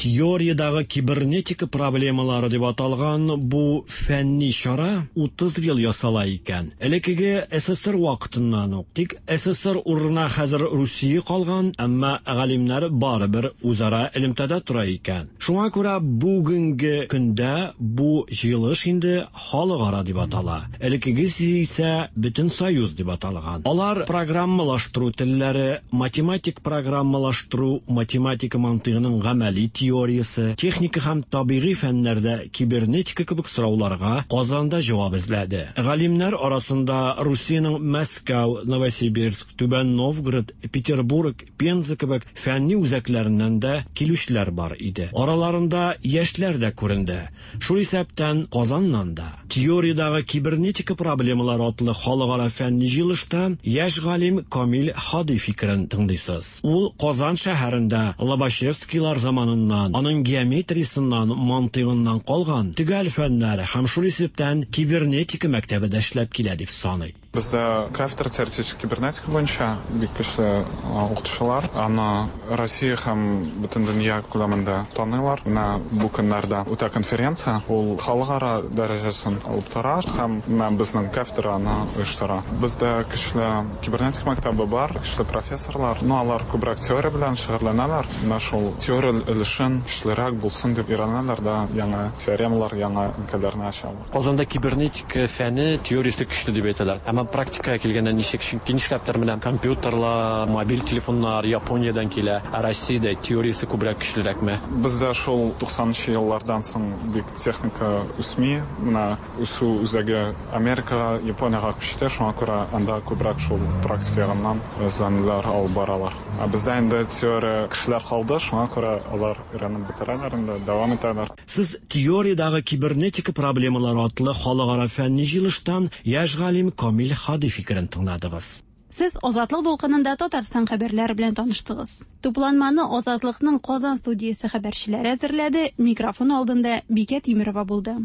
Теориядагы кибернетика проблемалары дип аталган бу фәнни чара 30 ел ясала икән. Элеккеге СССР вакытыннан ук. Тик СССР урынына хәзер Русия калган, әмма галимнәр барыбер үзара элемтәдә тора икән. Шуңа күрә бүгенге көндә бу җыелыш инде халыкара дип атала. Элеккегесе исә бөтен союз дип аталган. Алар программалаштыру телләре, математик программалаштыру, математика мантыйгының гамәли теориясе, техника һәм табигый фәннәрдә кибернетика кебек сорауларга Казанда җавап эзләде. Галимнәр арасында Русиянең Мәскәү, Новосибирск, Түбән Новгород, Петербург, Пенза кебек фәнни үзәкләреннән дә килүчеләр бар иде. Араларында яшьләр дә күренде. Шул исәптән Казаннан да. Теориядагы кибернетика проблемалары атлы халыкара фәнни җыелышта яшь галим Камил Һади фикерен тыңлыйсыз. Ул Казан шәһәрендә Лобачевскийлар заманыннан, аның геометриясеннән, мантыйгыннан калган төгәл фәннәр һәм шул исәптән кибернетика мәктәбе дә эшләп килә дип саный. Бездә кафедра теоретик кибернетика буенча бик көчле укытучылар. Аны Россия һәм бөтен дөнья күләмендә таныйлар. Менә бу көннәрдә үтә конференция, ул халыкара дәрәҗәсен алып тора һәм менә безнең кафедра аны оештыра. Бездә көчле кибернетика мәктәбе бар, көчле профессорлар. Ну, алар күбрәк теория белән шөгыльләнәләр. Менә шул теория өлешен көчлерәк булсын дип өйрәнәләр дә, яңа теоремалар, яңа өлкәләрне ачалар. Казанда кибернетика фәне теориясе көчле дип әйтәләр. Әмма практикага килгәндә ничек? Чөнки нишләптер менә компьютерлар, мобиль телефоннар Япониядән килә, ә Россиядә теориясе күбрәк көчлерәкме? Бездә шул 90 еллардан соң бик техника үсми. Менә үсү үзәге Америкага, Япониягә күчте, шуңа күрә анда күбрәк шул практика ягыннан эзләнүләр алып баралар. Ә бездә инде теория кешеләр калды, шуңа күрә алар өйрәнеп бетерәләр инде, дәвам итәләр. Сез теориядагы кибернетика проблемалары атлы халыкара фәнни җыелыштан яшь галим Камил Һади фикерен тыңладыгыз. Сез Азатлык дулкынында Татарстан хәбәрләре белән таныштыгыз. Тупланманы Азатлыкның Казан студиясе хәбәрчеләре әзерләде. Микрофон алдында Бикә Тимерова булды.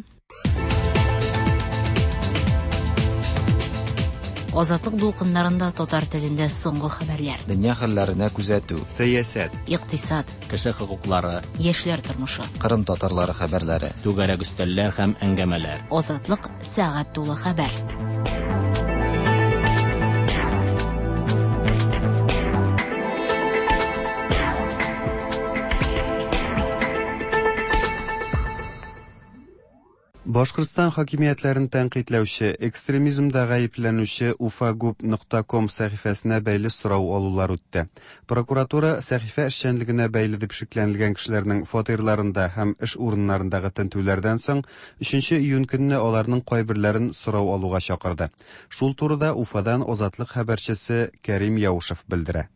Азатлык дулкыннарында татар телендә соңгы хәбәрләр. Дөнья хәлләренә күзәтү. Сәясәт. Икътисад. Кеше хокуклары. Яшьләр тормышы. Кырым татарлары хәбәрләре. Түгәрәк өстәлләр һәм әңгәмәләр. Азатлык сәгать тулы хәбәр. Башкортстан хакимиятләрен тәнкыйтьләүче, экстремизмда гаепләнүче Ufagub нокта ком сәхифәсенә бәйле сорау алулар үтте. Прокуратура сәхифә эшчәнлегенә бәйле дип шикләнелгән кешеләрнең фатирларында һәм эш урыннарындагы тентүләрдән соң, өченче июнь көнне аларның кайберләрен сорау алуга чакырды. Шул турыда Уфадан Азатлык хәбәрчесе Кәрим Яушев белдерә.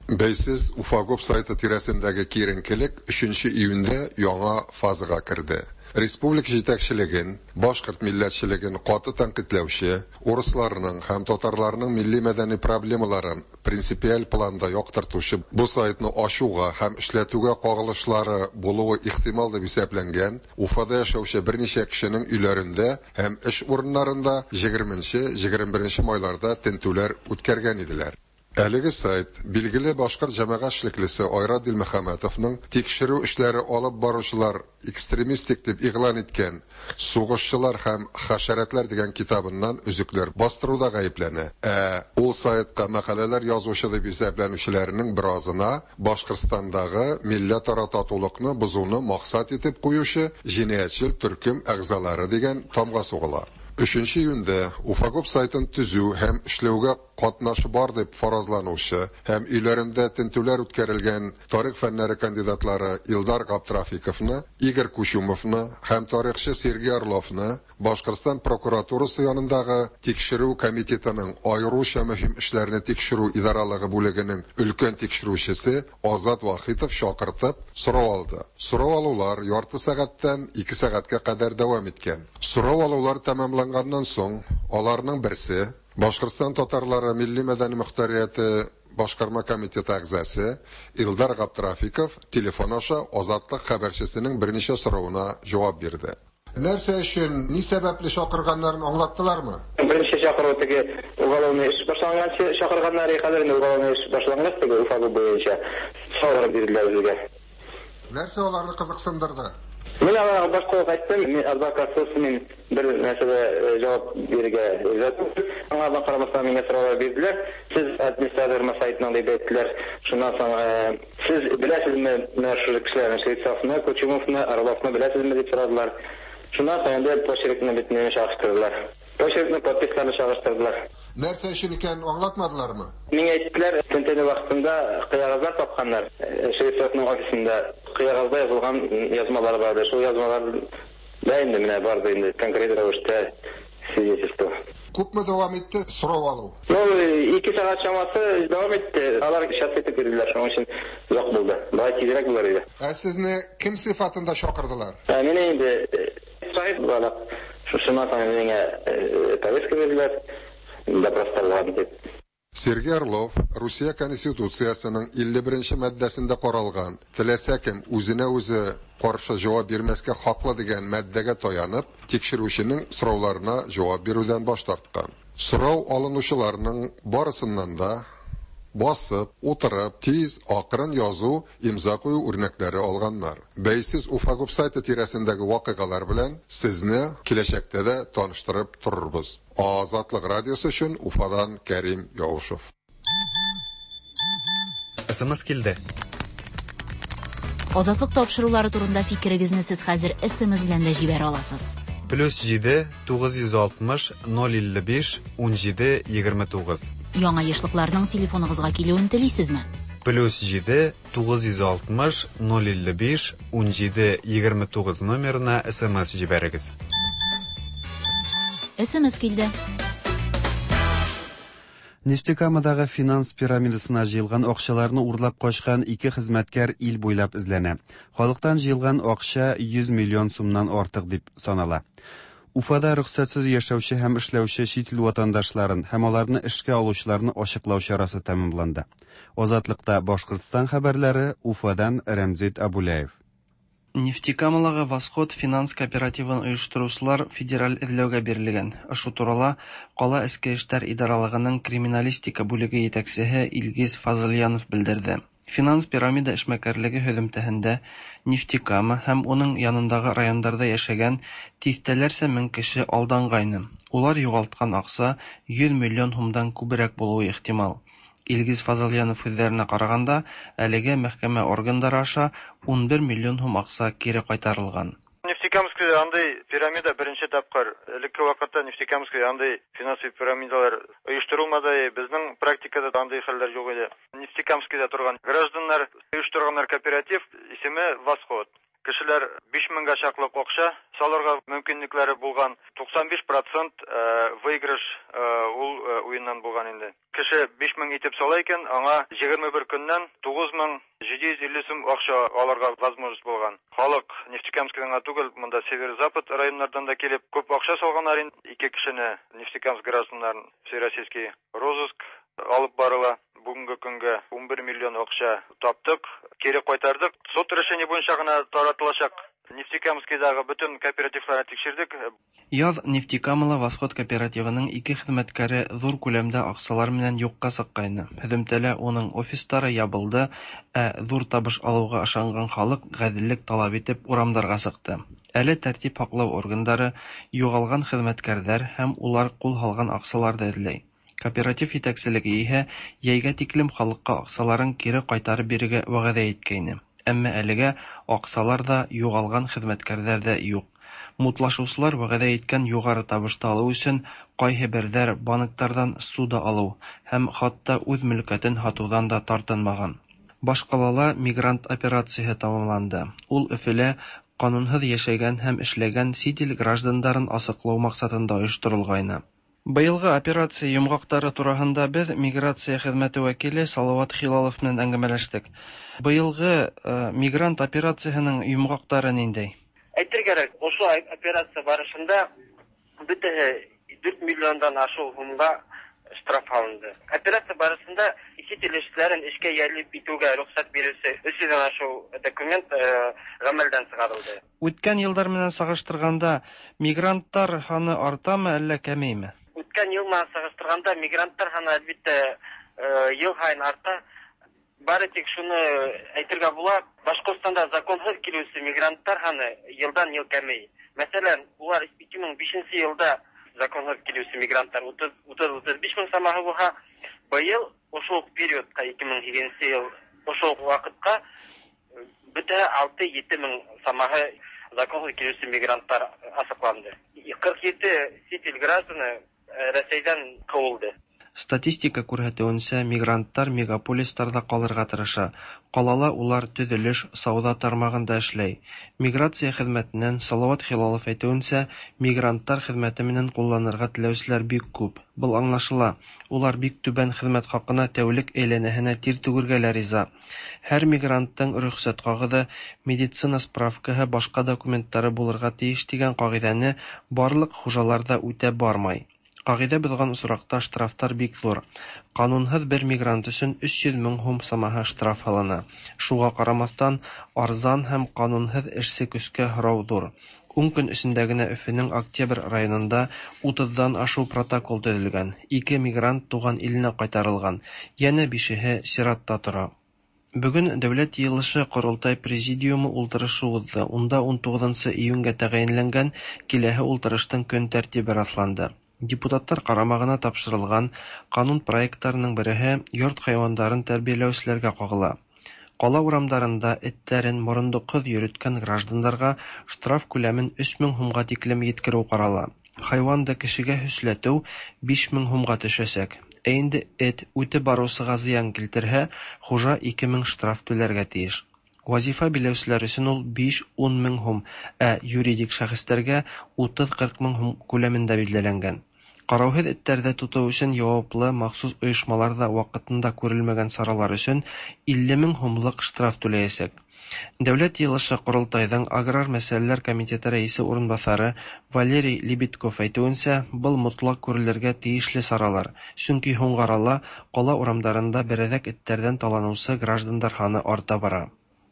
Бәйсез Уфагуб сайты тирәсендәге киеренкелек өченче июньдә яңа фазага керде. Республика җитәкчелеген, башкорт милләтчелеген каты тәнкыйтьләүче, урысларның һәм татарларның милли-мәдәни проблемаларын принципиаль планда яктыртучы бу сайтны ачуга һәм эшләтүгә кагылышлары булуы ихтимал дип исәпләнгән Уфада яшәүче берничә кешенең өйләрендә һәм эш урыннарында егерменче-егерме беренче майларда тентүләр үткәргән иделәр. Әлеге сайт билгеле башкорт җәмәгать эшлеклесе Айрат Дилмөхәммәтовның тикшерү эшләре алып баручылар экстремистик дип игълан иткән Сугышчылар һәм хәшәрәтләр дигән китабыннан өзекләр бастыруда гаепләнә. Ә ул сайтка мәкаләләр язучы дип исәпләнүчеләрнең беразына Башкортстандагы милләтара татулыкны бозуны максат итеп куючы җинаятьчел төркем әгъзалары дигән тамга сугыла. Өченче июньдә Уфагуб сайтын төзү һәм эшләүгә катнашы бар дип фаразланучы һәм өйләрендә тентүләр үткәрелгән тарих фәннәре кандидатлары Илдар Габдрафиковны, Игорь Кучумовны һәм тарихчы Сергей Орловны Башкортстан прокуратурасы янындагы Тикшерү комитетының аеруча мөһим эшләрне тикшерү идаралыгы бүлегенең өлкән тикшерүчесе Азат Вахитов чакыртып, сорау алды. Сорау алулар ярты сәгатьтән ике сәгатькә кадәр дәвам иткән. Сорау алулар тәмамланганнан соң, аларның берсе, Башкортстан татарлары милли-мәдәни мохтарияте башкарма комитеты әгъзасы Илдар Габдрафиков телефон аша Азатлык хәбәрчесенең берничә соравына җавап бирде. Нәрсә өчен, ни сәбәпле чакырганнарын аңлаттылармы? Беренче чакыру теге уголовный эш башланганчы чакырганнар, хәзер инде уголовный эш башлангач теге Уфа буенча сораулар бирделәр безгә. Нәрсә аларны кызыксындырды? Мин аларга башта ук әйттем, мин адвокатсыз мин бер нәрсәдә җавап бирергә риза түгел. Аңардан карамастан миңа сораулар бирделәр. Сез администратормы сайтның дип әйттеләр. Шуннан соң сез беләсезме менә шушы кешеләрне, Швецовны, Кучумовны, Орловны беләсезме дип сорадылар. Шуннан соң инде почеркны бит мине чагыштырдылар. Почеркны, подписьларны чагыштырдылар. Нәрсә өчен икәнен аңлатмадылармы? Миңа әйттеләр, тентү вакытында кәгазьләр тапканнар. Швецовның офисында кәгазьдә язылган язмалар бар. Шул язмалар да инде менә барды инде конкрет рәвештә свидетельство. Күпме дәвам итте сорау алу? Ну, ике сәгать чамасы дәвам итте. Алар час итеп бирделәр, шуның өчен озак булды. Болай тизрәк булыр иде. Ә сезне кем сыйфатында чакырдылар? Ә мине инде сахиб буларак, шушыннан соң миңа повестка бирделәр, допростарга дип. Сергей Орлов Русия Конституциясенең 51 нче маддәсендә каралган теләсә кем үзенә үзе каршы җавап бирмәскә хаклы дигән маддәгә таянып, тикшерүченең сорауларына җавап бирүдән баш тарткан. Сорау алынучыларның барысыннан да басып, утырып, тиз, акрын язу, имза кую үрнәкләре алганнар. Бәйсез Уфагуб сайты тирәсендәге вакыйгалар белән сезне киләчәктә дә таныштырып торырбыз. Азатлык радиосы өчен Уфадан Кәрим Яушев. СМС килде. Азатлык тапшырулары турында фикерегезне сез хәзер СМС белән дә җибәрә аласыз. Плюс 7 960 055 17 29. Яңа ешлыкларның телефоныгызга килүен телисезме? Плюс 7 960 055 17 29 номерына СМС җибәрегез. СМС килде. Нефтекамадагы финанс пирамидасына җыелган акчаларны урлап качкан ике хезмәткәр ил буйлап эзләнә. Халыктан җыелган акча 100 миллион сумнан артык дип санала. Уфада рөхсәтсез яшәүче һәм эшләүче чит ил ватандашларын һәм аларны эшкә алучыларны ачыклау чарасы тәмамланды. Азатлыкта Башкортстан хәбәрләре Уфадан Рәмзит Абуляев. Нефтекамалагы Восход финанс кооперативын оештыручылар федераль эзләүгә бирелгән. Ошо турала кала эчке эштәр идаралыгының криминалистика бүлеге етәксеһе Илгиз Фазыльянов белдерде. Финанс пирамида эшмәкәрлеге һөҙөмтәһендә Нефтекама һәм уның янындагы райондарҙа йәшәгән тиҫтәләрсә мең кеше алданғайны. Улар юғалтҡан аҡса 100 миллион һумдан күберәк булыуы ихтимал. Илгиз Фазыльянов һүҙҙәренә ҡарағанда, әлегә мәхкәмә органдары аша 11 миллион һум аҡса кире ҡайтарылған. Нефтекамскида андый пирамида беренче тапкыр. Элекке вакытта Нефтекамскида андый финансовый пирамидалар оештырылмады. Безнең практикада да андый хәлләр юк иде. Нефтекамскида торган гражданнар оештырганнар кооператив, исеме Восход. Кешеләр 5000гә чаклы акча салырга мөмкинлекләре булган. 95 процент выигрыш ул уеннан булган инде. Кеше 5000 итеп сала икән, аңа 21 көннән 9750 сум акча алырга возможность булган. Халык Нефтекамскидан гына түгел, монда северо-запад районнардан да килеп күп акча салганнар инде. Ике кешене Нефтекамск гражданнарын всероссийский розыск алып барыла. Бүгенге көнгә 11 миллион акча таптык, кире кайтардык. Суд решение буенча гына таратылачак. Нефтекамскидагы бөтен кооперативларны тикшердек. Яз Нефтекамала Восход кооперативының ике хезмәткәре зур күләмдә акчалар менән юкка чыккайны. Һөземтәлә уның офистары ябылды, ә зур табыш алуга ышанган халык гаделлек таләп итеп урамдарга чыкты. Әле тәртип һаклау органдары югалган хезмәткәрләр һәм улар кул һалган акчалар да эзләй. Кооператив җитәкчелеге иһә йәйгә тиклем халыкка акчаларын кире кайтарып бирергә вәгъдә иткәйне. Әмма әлегә акчалар да, югалган хезмәткәрләр дә юк. Мутлашучылар вәгъдә иткән югары табышты алу өчен кайһыбердәр банктардан ссуда алу һәм хатта үз мөлкәтен һатудан да тартынмаган. Башкалала мигрант операцияһе тәмамланды. Ул Өфелә канунһыз яшәгән һәм эшләгән чит ил граждандарын асыклау максатында оештырылгайны. Быелгы операция йомгактары тураһында без миграция хезмәте вәкиле Салават Хилалов белән әңгәмәләштек. Быелгы мигрант операцияһенең йомгактары ниндәй? Әйтергә кирәк, ошо операция барышында бөтәһе 4 миллиондан ашыу һумга штраф һалынды. Операция барышында чит ил эшчеләрен эшкә йәлеп итүгә рөхсәт бирүче 300 дән ашыу документ гамәлдән чыгарылды. Үткән елдар менән сагыштырганда мигранттар һаны артамы, әллә кәмейме? Үткән ел менән сагыштырганда мигранттар һаны, әлбиттә, ел һайын арта. Бары тик шуны әйтергә була, Башкортстанда законһыз килүче мигранттар һаны елдан-ел кәмей. Мәсәлән, улар 2005 елда законһыз килүче мигранттар 30-35 мең самаһы булһа, быел ошо ук периодка 2008 ел ошо ук вакытка бөтә 6-7 мең самаһы законһыз килүче мигранттар асыкланды. 47 чит ил гражданы Рәсәйдән куылды. Статистика күрһәтүенчә, мигранттар мегаполисларда калырга тырыша. Калала улар төзелеш, сауда тармагында эшләй. Миграция хезмәтеннән Салават Хилалов әйтүенчә, мигранттар хезмәте менән кулланырга теләүчеләр бик күп. Был аңлашыла, улар бик түбән хезмәт хакына тәүлек әйләнәһенә тир түгергә лә риза. Һәр мигранттың рөхсәт кагыды, медицина справкаһы, башка документтары булырга тиеш дигән кагыйдәне барлык хужалар да үтәп бармай. Кагыйдә бозган очракта штрафтар бик зур. Канунһыз бер мигрант өчен 300 мең һум самаһы штраф һалына. Шуга карамастан, арзан һәм канунһыз эшче көчкә һорау зур. Ун көн эчендә генә Өфенең Октябрь районында утыздан ашу протокол төзелгән, ике мигрант туган иленә кайтарылган, янә бишеһе чиратта тора. Бүген Дәүләт Йыелышы-Корылтай Президиумы ултырышы узды, унда унтугызынчы июньгә тәгаенләнгән киләһе ултырыштың көн тәртибе расланды. Депутатлар карамагына тапшырылган канун проектларының береһе йорт хайвандарын тәрбияләүчеләргә кагыла. Кала урамдарында этләрен морындыксыз йөреткән гражданнарга штраф күләмен 3000 һумга тиклем йиткерү карала. Хайванды кешегә һөсләтү 5000 һумга төшәчәк. Ә инде эт үтеп баручыга зыян килтерһә, хужа 2000 штраф түләргә тиеш. Вазифа биләүчеләр өчен ул 5-10 мең һум, ә юридик шәхесләргә 30-40 мең һум күләмендә билгеләнгән. Караусыз этләрдә тоту өчен яваплы махсус оешмалар да вакытында күрелмәгән чаралар өчен 50 мең һумлык штраф түләячәк. Дәүләт Йыелышы-Корылтайдың Аграр мәсьәләләр комитеты рәисе урынбасары Валерий Лебедков әйтүенчә, был мотлак күрелергә тиешле чаралар, чөнки һуңгы арала кала урамдарында берәзәк этләрдән таланучы граждандар һаны арта бара.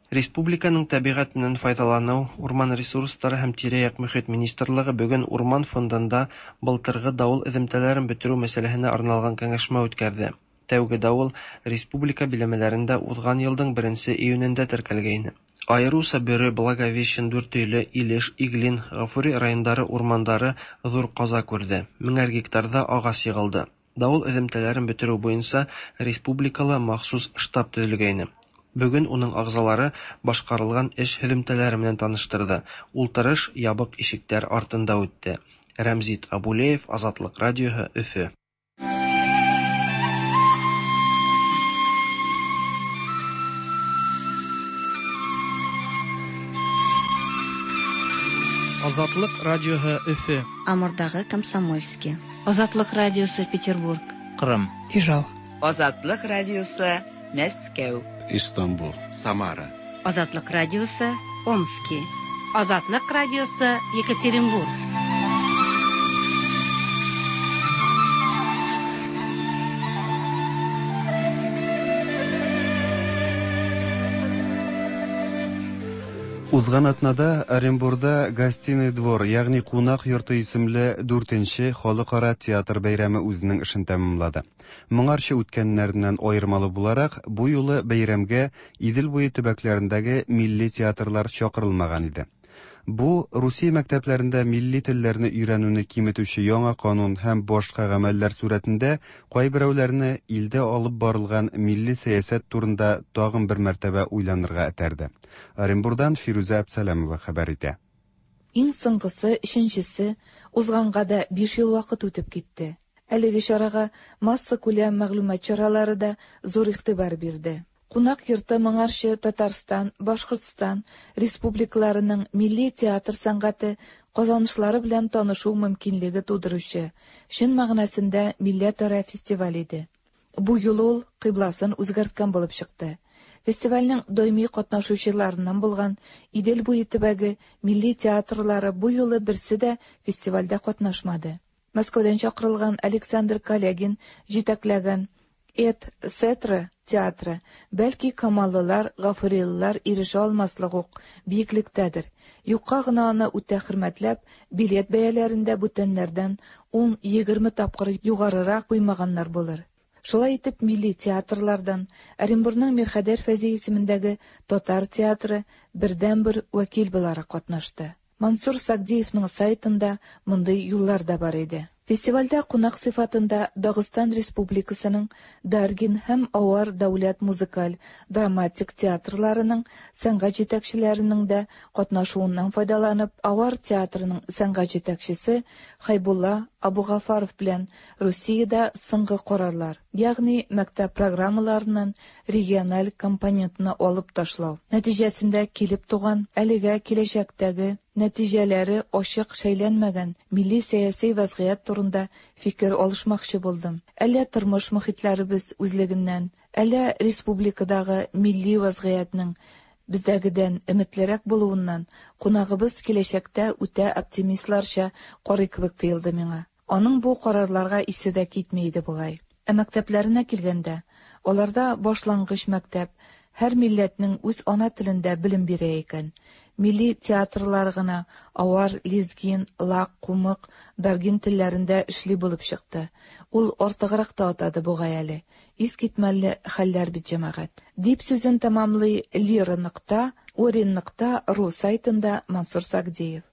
Республиканың Табигать менән файдалану, урман ресурслары һәм тирә-як мөхит министрлыгы бүген Урман фондында былтыргы давыл эземтәләрен бетерү мәсьәләһенә арналган кәңәшмә үткәрде. Тәүге давыл республика биләмәләрендә узган елдың беренче июнендә теркәлгәйне. Аеруча Бөре, Благовещен, Дүртөйле, Илеш, Иглин, Гафури райондары урмандары зур каза күрде, меңәр гектарда агач егылды. Давыл эземтәләрен бетерү буенча республикала махсус штаб төзелгәйне. Бүген уның агъзалары башкарылган эш һөземтәләре менән таныштырды. Ултырыш ябык ишекләр артында үтте. Рәмзит Абулеев, Азатлык радиоһы, Өфе. Азатлык радиоһы Өфе. Амурдагы Комсомольски. Азатлык радиосы Петербург. Кырым. Ижау. Азатлык радиосы Мәскәү. Истанбул. Самара. Азатлык радиосы Омски. Азатлык радиосы Екатеринбург. Узган атнада Оренбурда Гостиный двор, ягъни кунак йорты исемле дүртенче халыкара театр бәйрәме үзенең эшен тәмамлады. Моңарчы үткәннәреннән аермалы буларак, бу юлы бәйрәмгә Идел буе төбәкләрендәге милли театрлар чакырылмаган иде. Бу Русия мәктәпләрендә милли телләрне өйрәнүне киметүче яңа канун һәм башка гамәлләр сурәтендә кайберәүләрне илдә алып барылган милли сәясәт турында тагын бер мәртәбә уйланырга этәрде. Оренбурдан Фирүзә Әпсәләмова хәбәр итә. Иң соңгысы, өченчесе, узганга да биш ел вакыт үтеп китте. Әлеге чарага массакүләм мәгълүмат чаралары да зур игътибар бирде. Кунак йорты моңарчы Татарстан, Башкортстан республикаларының милли театр сәнгате казанышлары белән танышу мөмкинлеге тудыручы, чын мәгънәсендә милләтара фестиваль иде. Бу юлы ул кыйбласын үзгәрткән булып чыкты. Фестивальнең даими катнашучыларыннан булган Идел буе төбәге милли театрлары бу юлы берсе дә фестивальдә катнашмады. Мәскәүдән чакырылган Александр Калягин җитәкләгән Эт Сетра театры, бәлки камаллылар, гафурилылар ирешә алмаслык ук биеклектәдер. Юкка гына аны үтә хөрмәтләп, билет бәяләрен дә бүтәннәрдән ун-егерме тапкыр югарырак куймаганнар булыр. Шулай итеп, милли театрлардан Оренбурның Мирхәйдәр Фәйзи исемендәге татар театры бердәнбер вәкил буларак катнашты. Мансур Сагдиевның сайтында мондый юллар да бар иде. Фестивальдә кунак сыйфатында Дагыстан Республикасының Даргин һәм Авар дәүләт музыкаль, драматик театрларының сәнгать җитәкчеләренең дә катнашуыннан файдаланып, Авар театрының сәнгать җитәкчесе Хәйбулла Абугафаров белән Русиядә соңгы карарлар, ягъни мәктәп программаларыннан региональ компонентны алып ташлау нәтиҗәсендә килеп туган әлегә киләчәктәге нәтиҗәләре ачык шәйләнмәгән милли сәяси вәзгыять турында фикер алышмакчы булдым. Әллә тормыш мохитләребез үзлегеннән, әллә республикадагы милли вәзгыятьнең бездәгедән өметлерәк булуыннан кунагыбыз киләчәктә үтә оптимистларча карый кебек тоелды миңа. Аның бу карарларга исе дә китми иде бугай. Ә мәктәпләренә килгәндә, аларда башлангыч мәктәп һәр милләтнең үз ана телендә белем бирә икән. Милли театрлар гына авар, лезгин, лак, кумык, даргин телләрендә эшли булып чыкты. Ул артыграк та атады бугай әле. Искитмәле хәлләр бит, җәмәгать. Дип сүзен тәмамлый Лира нокта Орин нокта ру сайтында Мансур Сагдиев.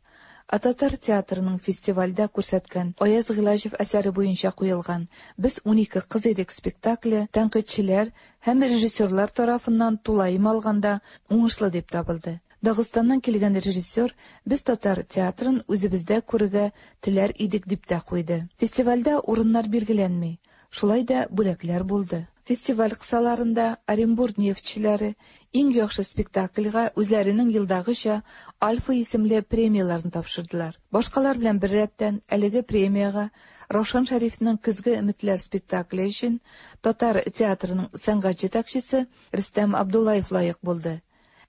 Ә татар театрының фестивальдә күрсәткән Аяз Гыйләҗев әсәре буенча куелган Без унике кыз идек спектакле тәнкыйтьчеләр һәм режиссерлар тарафыннан тулаем алганда уңышлы дип табылды. Дагыстаннан килгән режиссер без татар театрын үзебездә күрергә теләр идек дип тә куйды. Фестивальдә урыннар билгеләнми, шулай да бүләкләр булды. Фестиваль кысаларында Оренбур нефтьчеләре иң яхшы спектакльгә үзләренең елдагыча Альфа исемле премияләрен тапшырдылар. Башкалар белән беррәттән әлеге премиягә Раушан Шәрифнең Көзге өметләр спектакле өчен татар театрының сәнгать җитәкчесе Рөстәм Абдуллаев лаек булды.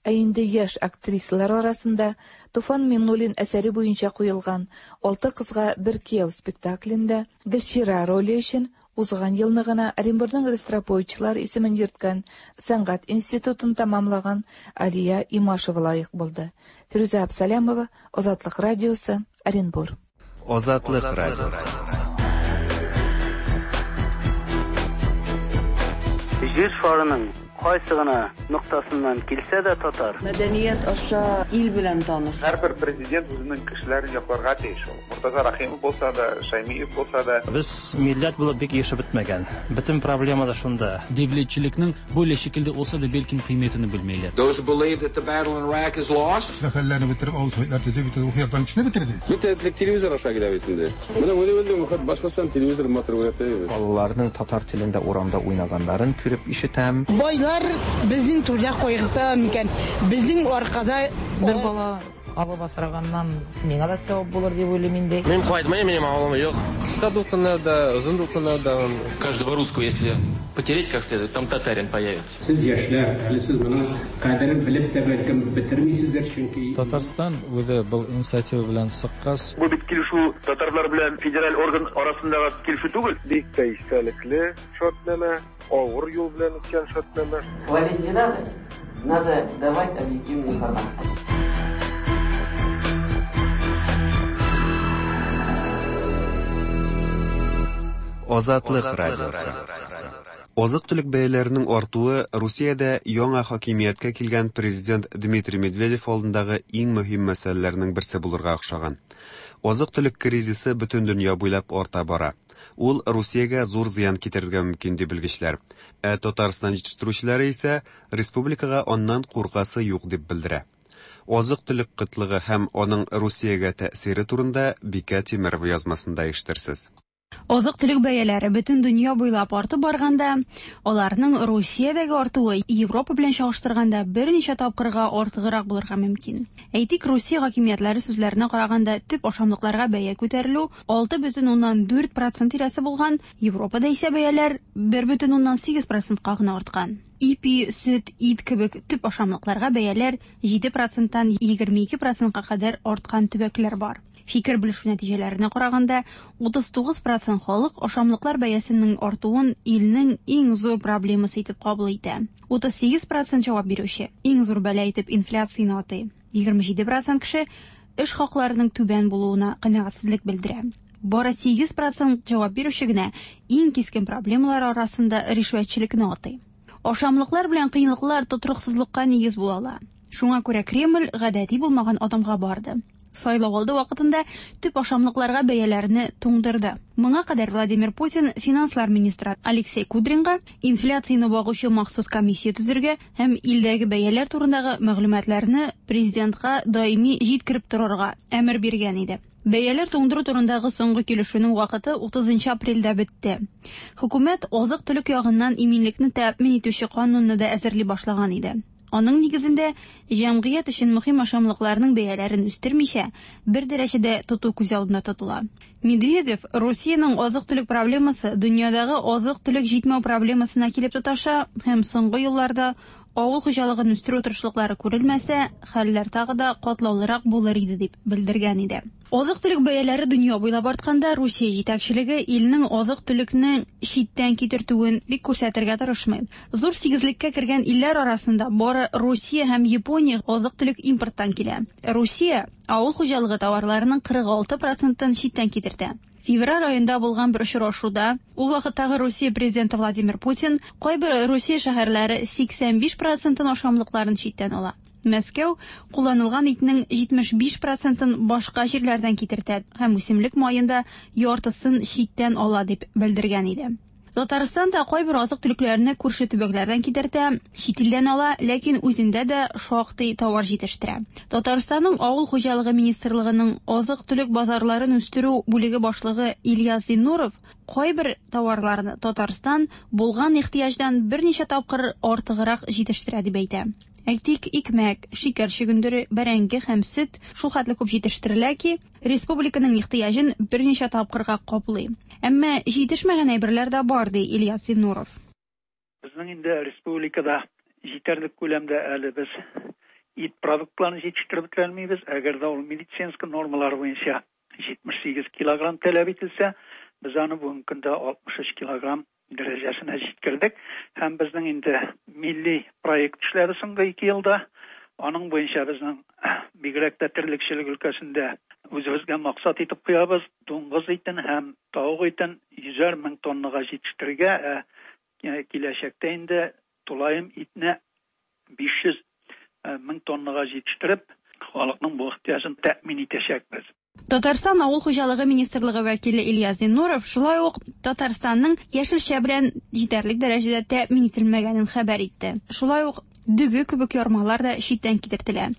Ә инде яшь актрисалар арасында Туфан Миңнуллин әсәре буенча куелган Алты кызга бер кияү спектаклендә Гөлчирә роле өчен узган елны гына Оренбурның Ростроповичлар исемен йөрткән сәнгать институтын тәмамлаган Алия Имашева лаек булды. Фирүзә Абсалямова, Азатлык радиосы, Оренбур. Азатлык радиосы. Җир шарының Кайсы гына ноктасыннан килсә дә татар. Мәдәният аша ил белән таныш. Һәрбер президент үзенең кешеләрен якларга тиеш ул. Мортаза Рәхимов булса да, Шәймиев булса да. Без милләт булып бик ирешеп бетмәгән. Бөтен проблема да шунда. Devletchilikning böyle şekilde olsa da belkim qiymetini bilmeyler. Those who believe that the battle in Iraq is lost. Мәхәлләне бетереп, авыл советлар төзеп, бөтен рухи яктан кешене бетерде. Бит телевизор аша килә бит инде. Менә үзе белдем, Башкортстан телевизор матур күрәтә. Балаларның татар телендә урамда уйнаганнарын күреп ишетәм. Байлар безнең түрдә кайгырта микән? Безнең аркада бер бала алып асраганнан миңа да савап булыр дип уйлыйм инде. Мин кайтмыйм, минем авылым юк. Кыска дулкыннарда, озын дулкыннарда. Каждого русского, если потереть как следует, там татарин появится. Сез яшьләр, әле сез моның кадерен белеп тә бәлкем бетермисездер, чөнки Татарстан үзе был инициатива белән чыккач. Бу бит килешү татарлар белән федераль орган арасындагы килешү түгел. Бик тә истәлекле шартнамә, авыр юл белән үткән шартнамә. Хвалить не надо, надо давать объективную информацию. Азатлык радиосы. Азык-төлек бәяләренең артуы Русиядә яңа хакимияткә килгән президент Дмитрий Медведев алдындагы иң мөһим мәсьәләләрнең берсе булырга охшаган. Азык-төлек кризисы бөтен дөнья буйлап арта бара. Ул Русиягә зур зыян китерергә мөмкин ди белгечләр. Ә Татарстан җитештерүчеләре исә республикага аннан куркасы юк дип белдерә. Азык-төлек кытлыгы һәм аның Русиягә тәэсире турында Бикә Тимерова язмасында ишетерсез. Азык-төлек бәяләре бөтен дөнья буйлап артып барганда, аларның Русиядәге артуы Европа белән чагыштырганда берничә тапкырга артыграк булырга мөмкин. Әйтик, Русия хакимиятләре сүзләренә караганда, төп ашамлыкларга бәя күтәрелү 6,4% тирәсе булган, Европада исә бәяләр 1,8%-ка гына арткан. Ипи, сөт, ит кебек төп ашамлыкларга бәяләр 7%-тан 22%-ка кадәр арткан төбәкләр бар. Фикер белешү нәтиҗәләренә караганда, 39% халык ашамлыклар бәясенең артуын илнең иң зур проблемасы итеп кабул итә. 38% җавап бирүче иң зур бәла итеп инфляцияне атый. 27% кеше эш хакларының түбән булуына канәгатьсезлек белдерә. Бары 8% җавап бирүче генә иң кискен проблемалар арасында ришвәтчелекне атый. Ашамлыклар белән кыенлыклар тотрыксызлыкка нигез була ала. Шуңа күрә Кремль гадәти булмаган адымга барды. Сайлау алды вакытында төп ашамлыкларга бәяләрне туңдырды. Моңа кадәр Владимир Путин финанслар министры Алексей Кудринга инфляцияне багучы махсус комиссия төзергә һәм илдәге бәяләр турындагы мәгълүматларны президентка даими җиткереп торырга әмер биргән иде. Бәяләр туңдыру турындагы соңгы килешүнең вакыты 30 апрельдә бетте. Хөкүмәт азык-төлек ягыннан иминлекне тәэмин итүче канунны да әзерли башлаган иде. Аның нигезендә җәмгыять өчен мөһим ашамлыкларның бәяләрен үстермичә, бер дәрәҗәдә тоту күз алдында тотыла. Медведев Русиянең азык-төлек проблемасы дөньядагы азык-төлек җитмәү проблемасына килеп тоташа һәм соңгы елларда авыл хуҗалыгын үстерү тырышлыклары күрелмәсә, хәлләр тагы да катлаулырак булыр иде дип белдергән иде. Азык-төлек бәяләре дөнья буйлап артканда, Русия җитәкчелеге илнең азык-төлекне читтән китертүен бик күрсәтергә тырышмый. Зур сигезлеккә кергән илләр арасында бары Русия һәм Япония азык-төлек импорттан килә. Русия авыл хуҗалыгы товарларының 46%-ын читтән китертә. Февраль аенда булган бер очрашуда ул вакыттагы Русия президенты Владимир Путин кайбер Русия шәһәрләре 85%-ын ашамлыкларын читтән ала. Мәскәү кулланылган итнең 75%-ын башка җирләрдән китертә һәм үсемлек маен да яртысын читтән ала дип белдергән иде. Татарстан да кайбер азык-төлекләрне күрше төбәкләрдән китертә, чит илдән ала, ләкин үзендә дә шактый товар җитештерә. Татарстанның Авыл хуҗалыгы министрлыгының азык-төлек базарларын үстерү бүлеге башлыгы Ильяс Зиннуров кайбер товарларны Татарстан булган ихтыяҗдан берничә тапкыр артыграк җитештерә дип әйтә. Әйтик, икмәк, шикәр чөгендере, бәрәңге һәм сөт шул хәтле күп җитештерелә ки, республиканың ихтыяҗын берничә тапкырга каплый. Әмма җитешмәгән әйберләр дә бар, ди Ильяс Зиннуров. Безнең инде республикада җитәрлек күләмдә әле без ит продуктларын җитештереп бетерә алмыйбыз. Әгәр дә ул медицинский нормалар буенча 78 килограмм таләп ителсә, без аны бүгенге көндә 63 килограмм дәрәҗәсенә җиткердек. Һәм безнең инде милли проект эшләде соңгы 2 елда. Аның буенча безнең бигрәк тә терлекчелек өлкәсендә үзебезгә максат итеп куябыз. Дуңгыз итен һәм тавык итен 100 мең тоннага җитештерергә, ә киләчәктә инде Тулаем итне 500 мең тоннага җитештереп, халыкның бу ихтыяҗын тәэмин итәчәкбез. Татарстан Авыл хуҗалыгы министрлыгы вәкиле Ильяс Зиннуров шулай ук Татарстанның яшелчә белән җитәрлек дәрәҗәдә тәэмин ителмәгәнен хәбәр итте. Шулай ук дөге кебек ярмалар да читтән китертелә.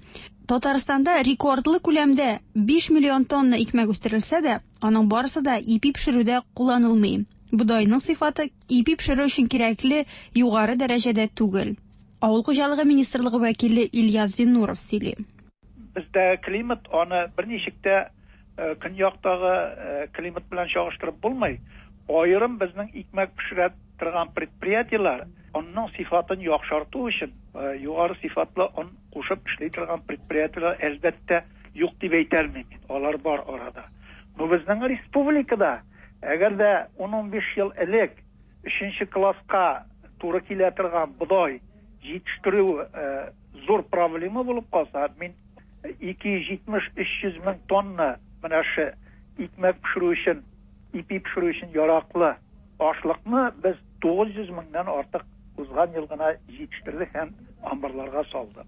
Татарстанда рекордлы күләмдә 5 миллион тонна икмәк үстерелсә дә, аның барысы да ипи пешерүдә кулланылмый. Бодайның сыйфаты ипи пешерү өчен кирәкле югары дәрәҗәдә түгел. Авыл хуҗалыгы министрлыгы вәкиле Ильяс Зиннуров сөйли. Бездәге климат аны берничек тә көньяктагы климат белән чагыштырып булмый. Аерым безнең икмәк пешерә торган предприятиеләр онның сыйфатын яхшырту өчен югары сыйфатлы он кушып эшли торган предприятиеләр, әлбәттә, юк дип әйтә алмыйм мин. Алар бар арада. Но безнең республикада, әгәр дә 10-15 ел элек өченче класска туры килә торган бодай җитештерү зур проблема булып калса, мин 270-300 мең тонна менә шы икмәк пешерү өчен, ипи пешерү өчен яраклы ашлыкны без 900 меңнән артык узган ел гына җитештердек һәм амбарларга салдык.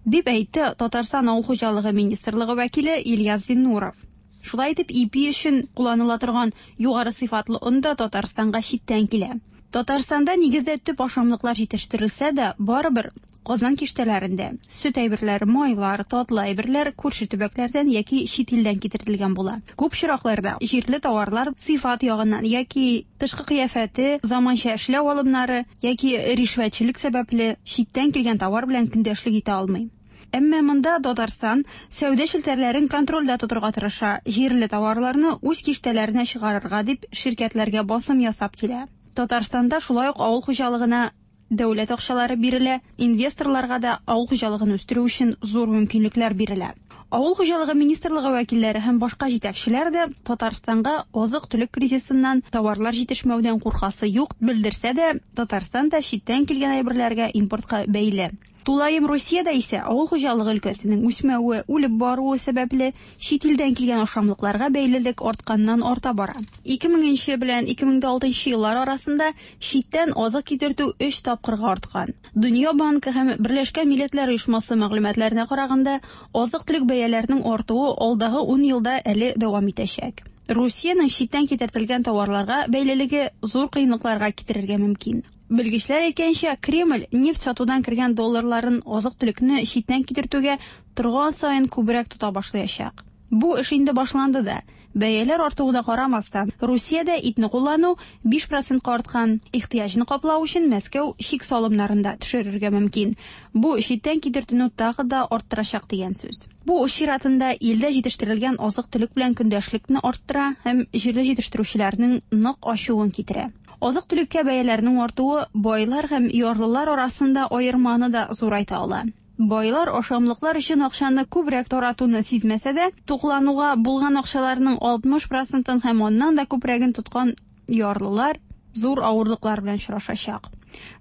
Дип әйтте Татарстан Авыл хуҗалыгы министрлыгы вәкиле Ильяс Зиннуров. Шулай итеп, ипи өчен кулланыла торган югары сыйфатлы он да Татарстанга читтән килә. Татарстанда нигездә төп ашамлыклар җитештерелсә дә, барыбер Казан киштәләрендә сөт әйберләре, майлар, татлы әйберләр күрше төбәкләрдән яки чит илдән китертелгән була. Күп очракларда җирле товарлар сыйфат ягыннан яки тышкы кыяфәте, заманча эшләү алымнары яки ришвәтчелек сәбәпле читтән килгән товар белән көндәшлек итә алмый. Әмма монда Татарстан сәүдә челтәрләрен контрольдә тотырга тырыша, җирле товарларны үз киштәләренә чыгарырга дип ширкәтләргә басым ясап килә. Татарстанда шулай ук авыл хуҗалыгына дәүләт акчалары бирелә, инвесторларга да авыл хуҗалыгын үстерү өчен зур мөмкинлекләр бирелә. Авыл хуҗалыгы министрлыгы вәкилләре һәм башка җитәкчеләр дә Татарстанга азык-төлек кризисыннан, товарлар җитешмәүдән куркасы юк белдерсә дә, Татарстан да читтән килгән әйберләргә импортка бәйле. Тулаем Русиядә исә авыл хуҗалыгы өлкәсенең үсмәве, үлеп баруы сәбәпле, чит илдән килгән ашамлыкларга бәйлелек артканнан-арта бара. 2000 нче белән 2006 нчы еллар арасында читтән азык китертү өч тапкырга арткан. Дөнья банкы һәм Берләшкән Милләтләр Оешмасы мәгълүматларына караганда, азык-төлек бәяләренең артуы алдагы ун елда әле дәвам итәчәк. Русиянең читтән китертелгән товарларга бәйлелеге зур кыенлыкларга китерергә мөмкин. Белгечләр әйткәнчә, Кремль нефть сатудан кергән долларларын азык-төлекне читтән китертүгә торган саен күбрәк тота башлаячак. Бу эш инде башланды да. Бәяләр артуына карамастан, Русиядә итне куллану 5 процентка арткан. Ихтыяҗны каплау өчен Мәскәү чик салымнарын да төшерергә мөмкин. Бу читтән китертүне тагы да арттырачак дигән сүз. Бу үз чиратында илдә җитештерелгән азык-төлек белән көндәшлекне арттыра һәм җирле җитештерүчеләрнең нык ачуын китерә. Азык-төлеккә бәяләрнең артуы байлар һәм ярлылар арасында аерманы да зурайта ала. Байлар ашамлыклар өчен акчаны күбрәк таратуны сизмәсә дә, туклануга булган акчаларның 60 процентын һәм аннан да күбрәген тоткан ярлылар зур авырлыклар белән очрашачак.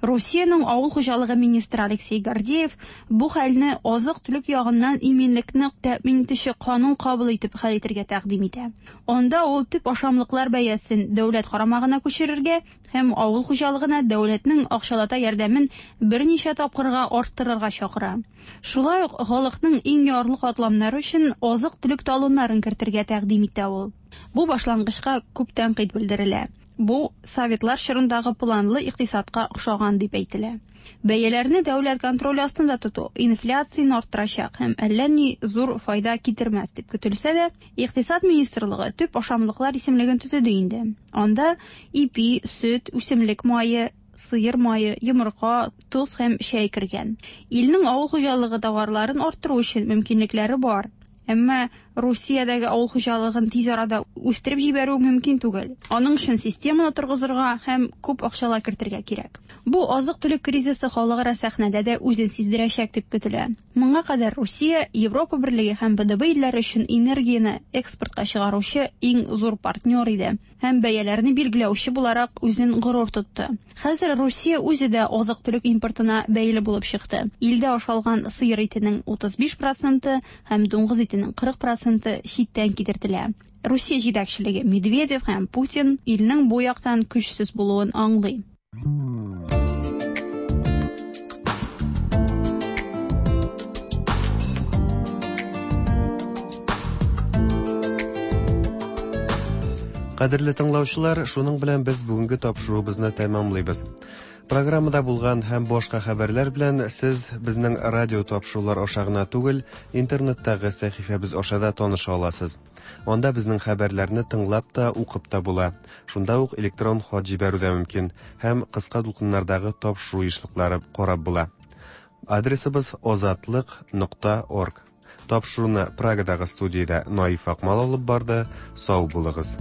Русиянең авыл хуҗалыгы министры Алексей Гордеев бу хәлне азык-төлек ягыннан иминлекне тәэмин итүче канун кабул итеп хәл итәргә тәкъдим итә. Анда ул төп ашамлыклар бәясен дәүләт карамагына күчерергә һәм авыл хуҗалыгына дәүләтнең акчалата ярдәмен берничә тапкырга арттырырга чакыра. Шулай ук халыкның иң ярлы катламнары өчен азык-төлек талоннарын кертергә тәкъдим итә ул. Бу башлангычка күп тәнкыйть белдерелә. Бу советлар чорындагы планлы икътисадка охшаган дип әйтелә. Бәяләрне дәүләт контроле астында тоту инфляцияне арттырачак һәм әллә ни зур файда китермәс дип көтелсә дә, Икътисад министрлыгы төп ашамлыклар исемлеген төзеде инде. Анда ипи, сөт, үсемлек мае, сыер мае, йомырка, тоз һәм чәй кергән. Илнең авыл хуҗалыгы товарларын арттыру өчен мөмкинлекләре бар. Әмма Русиядәге авыл хуҗалыгын тиз арада үстереп җибәрү мөмкин түгел. Аның өчен системаны торгызырга һәм күп акчалар кертергә кирәк. Бу азык-төлек кризисы халыкара сәхнәдә дә үзен сиздерәчәк дип көтелә. Моңа кадәр Русия Европа Берлеге һәм БДБ илләре өчен энергияне экспортка чыгаручы иң зур партнер иде һәм бәяләрне билгеләүче буларак үзен горур тотты. Хәзер Русия үзе дә азык-төлек импортына бәйле булып чыкты. Илдә ашалган сыер итенең 35 проценты һәм дуңгыз итенең 40 проценты читтән китертелә. Русия җитәкчелеге Медведев һәм Путин илнең бу яктан көчсез булуын аңлый. Кадерле тыңлаучылар, шуның белән без бүгенге тапшыруыбызны тәмамлыйбыз. Программада булган һәм башка хәбәрләр белән сез безнең радио тапшырулар аша гына түгел, интернеттагы сәхифәбез аша да таныша аласыз. Анда безнең хәбәрләрне тыңлап та, укып та була. Шунда ук электрон хат җибәрү дә мөмкин һәм кыска дулкыннардагы тапшыру ешлыклары карап була. Адресыбыз озатлык.орг. Тапшыруны Прагадагы студиядә Наиф Акмал алып барды. Сау булыгыз.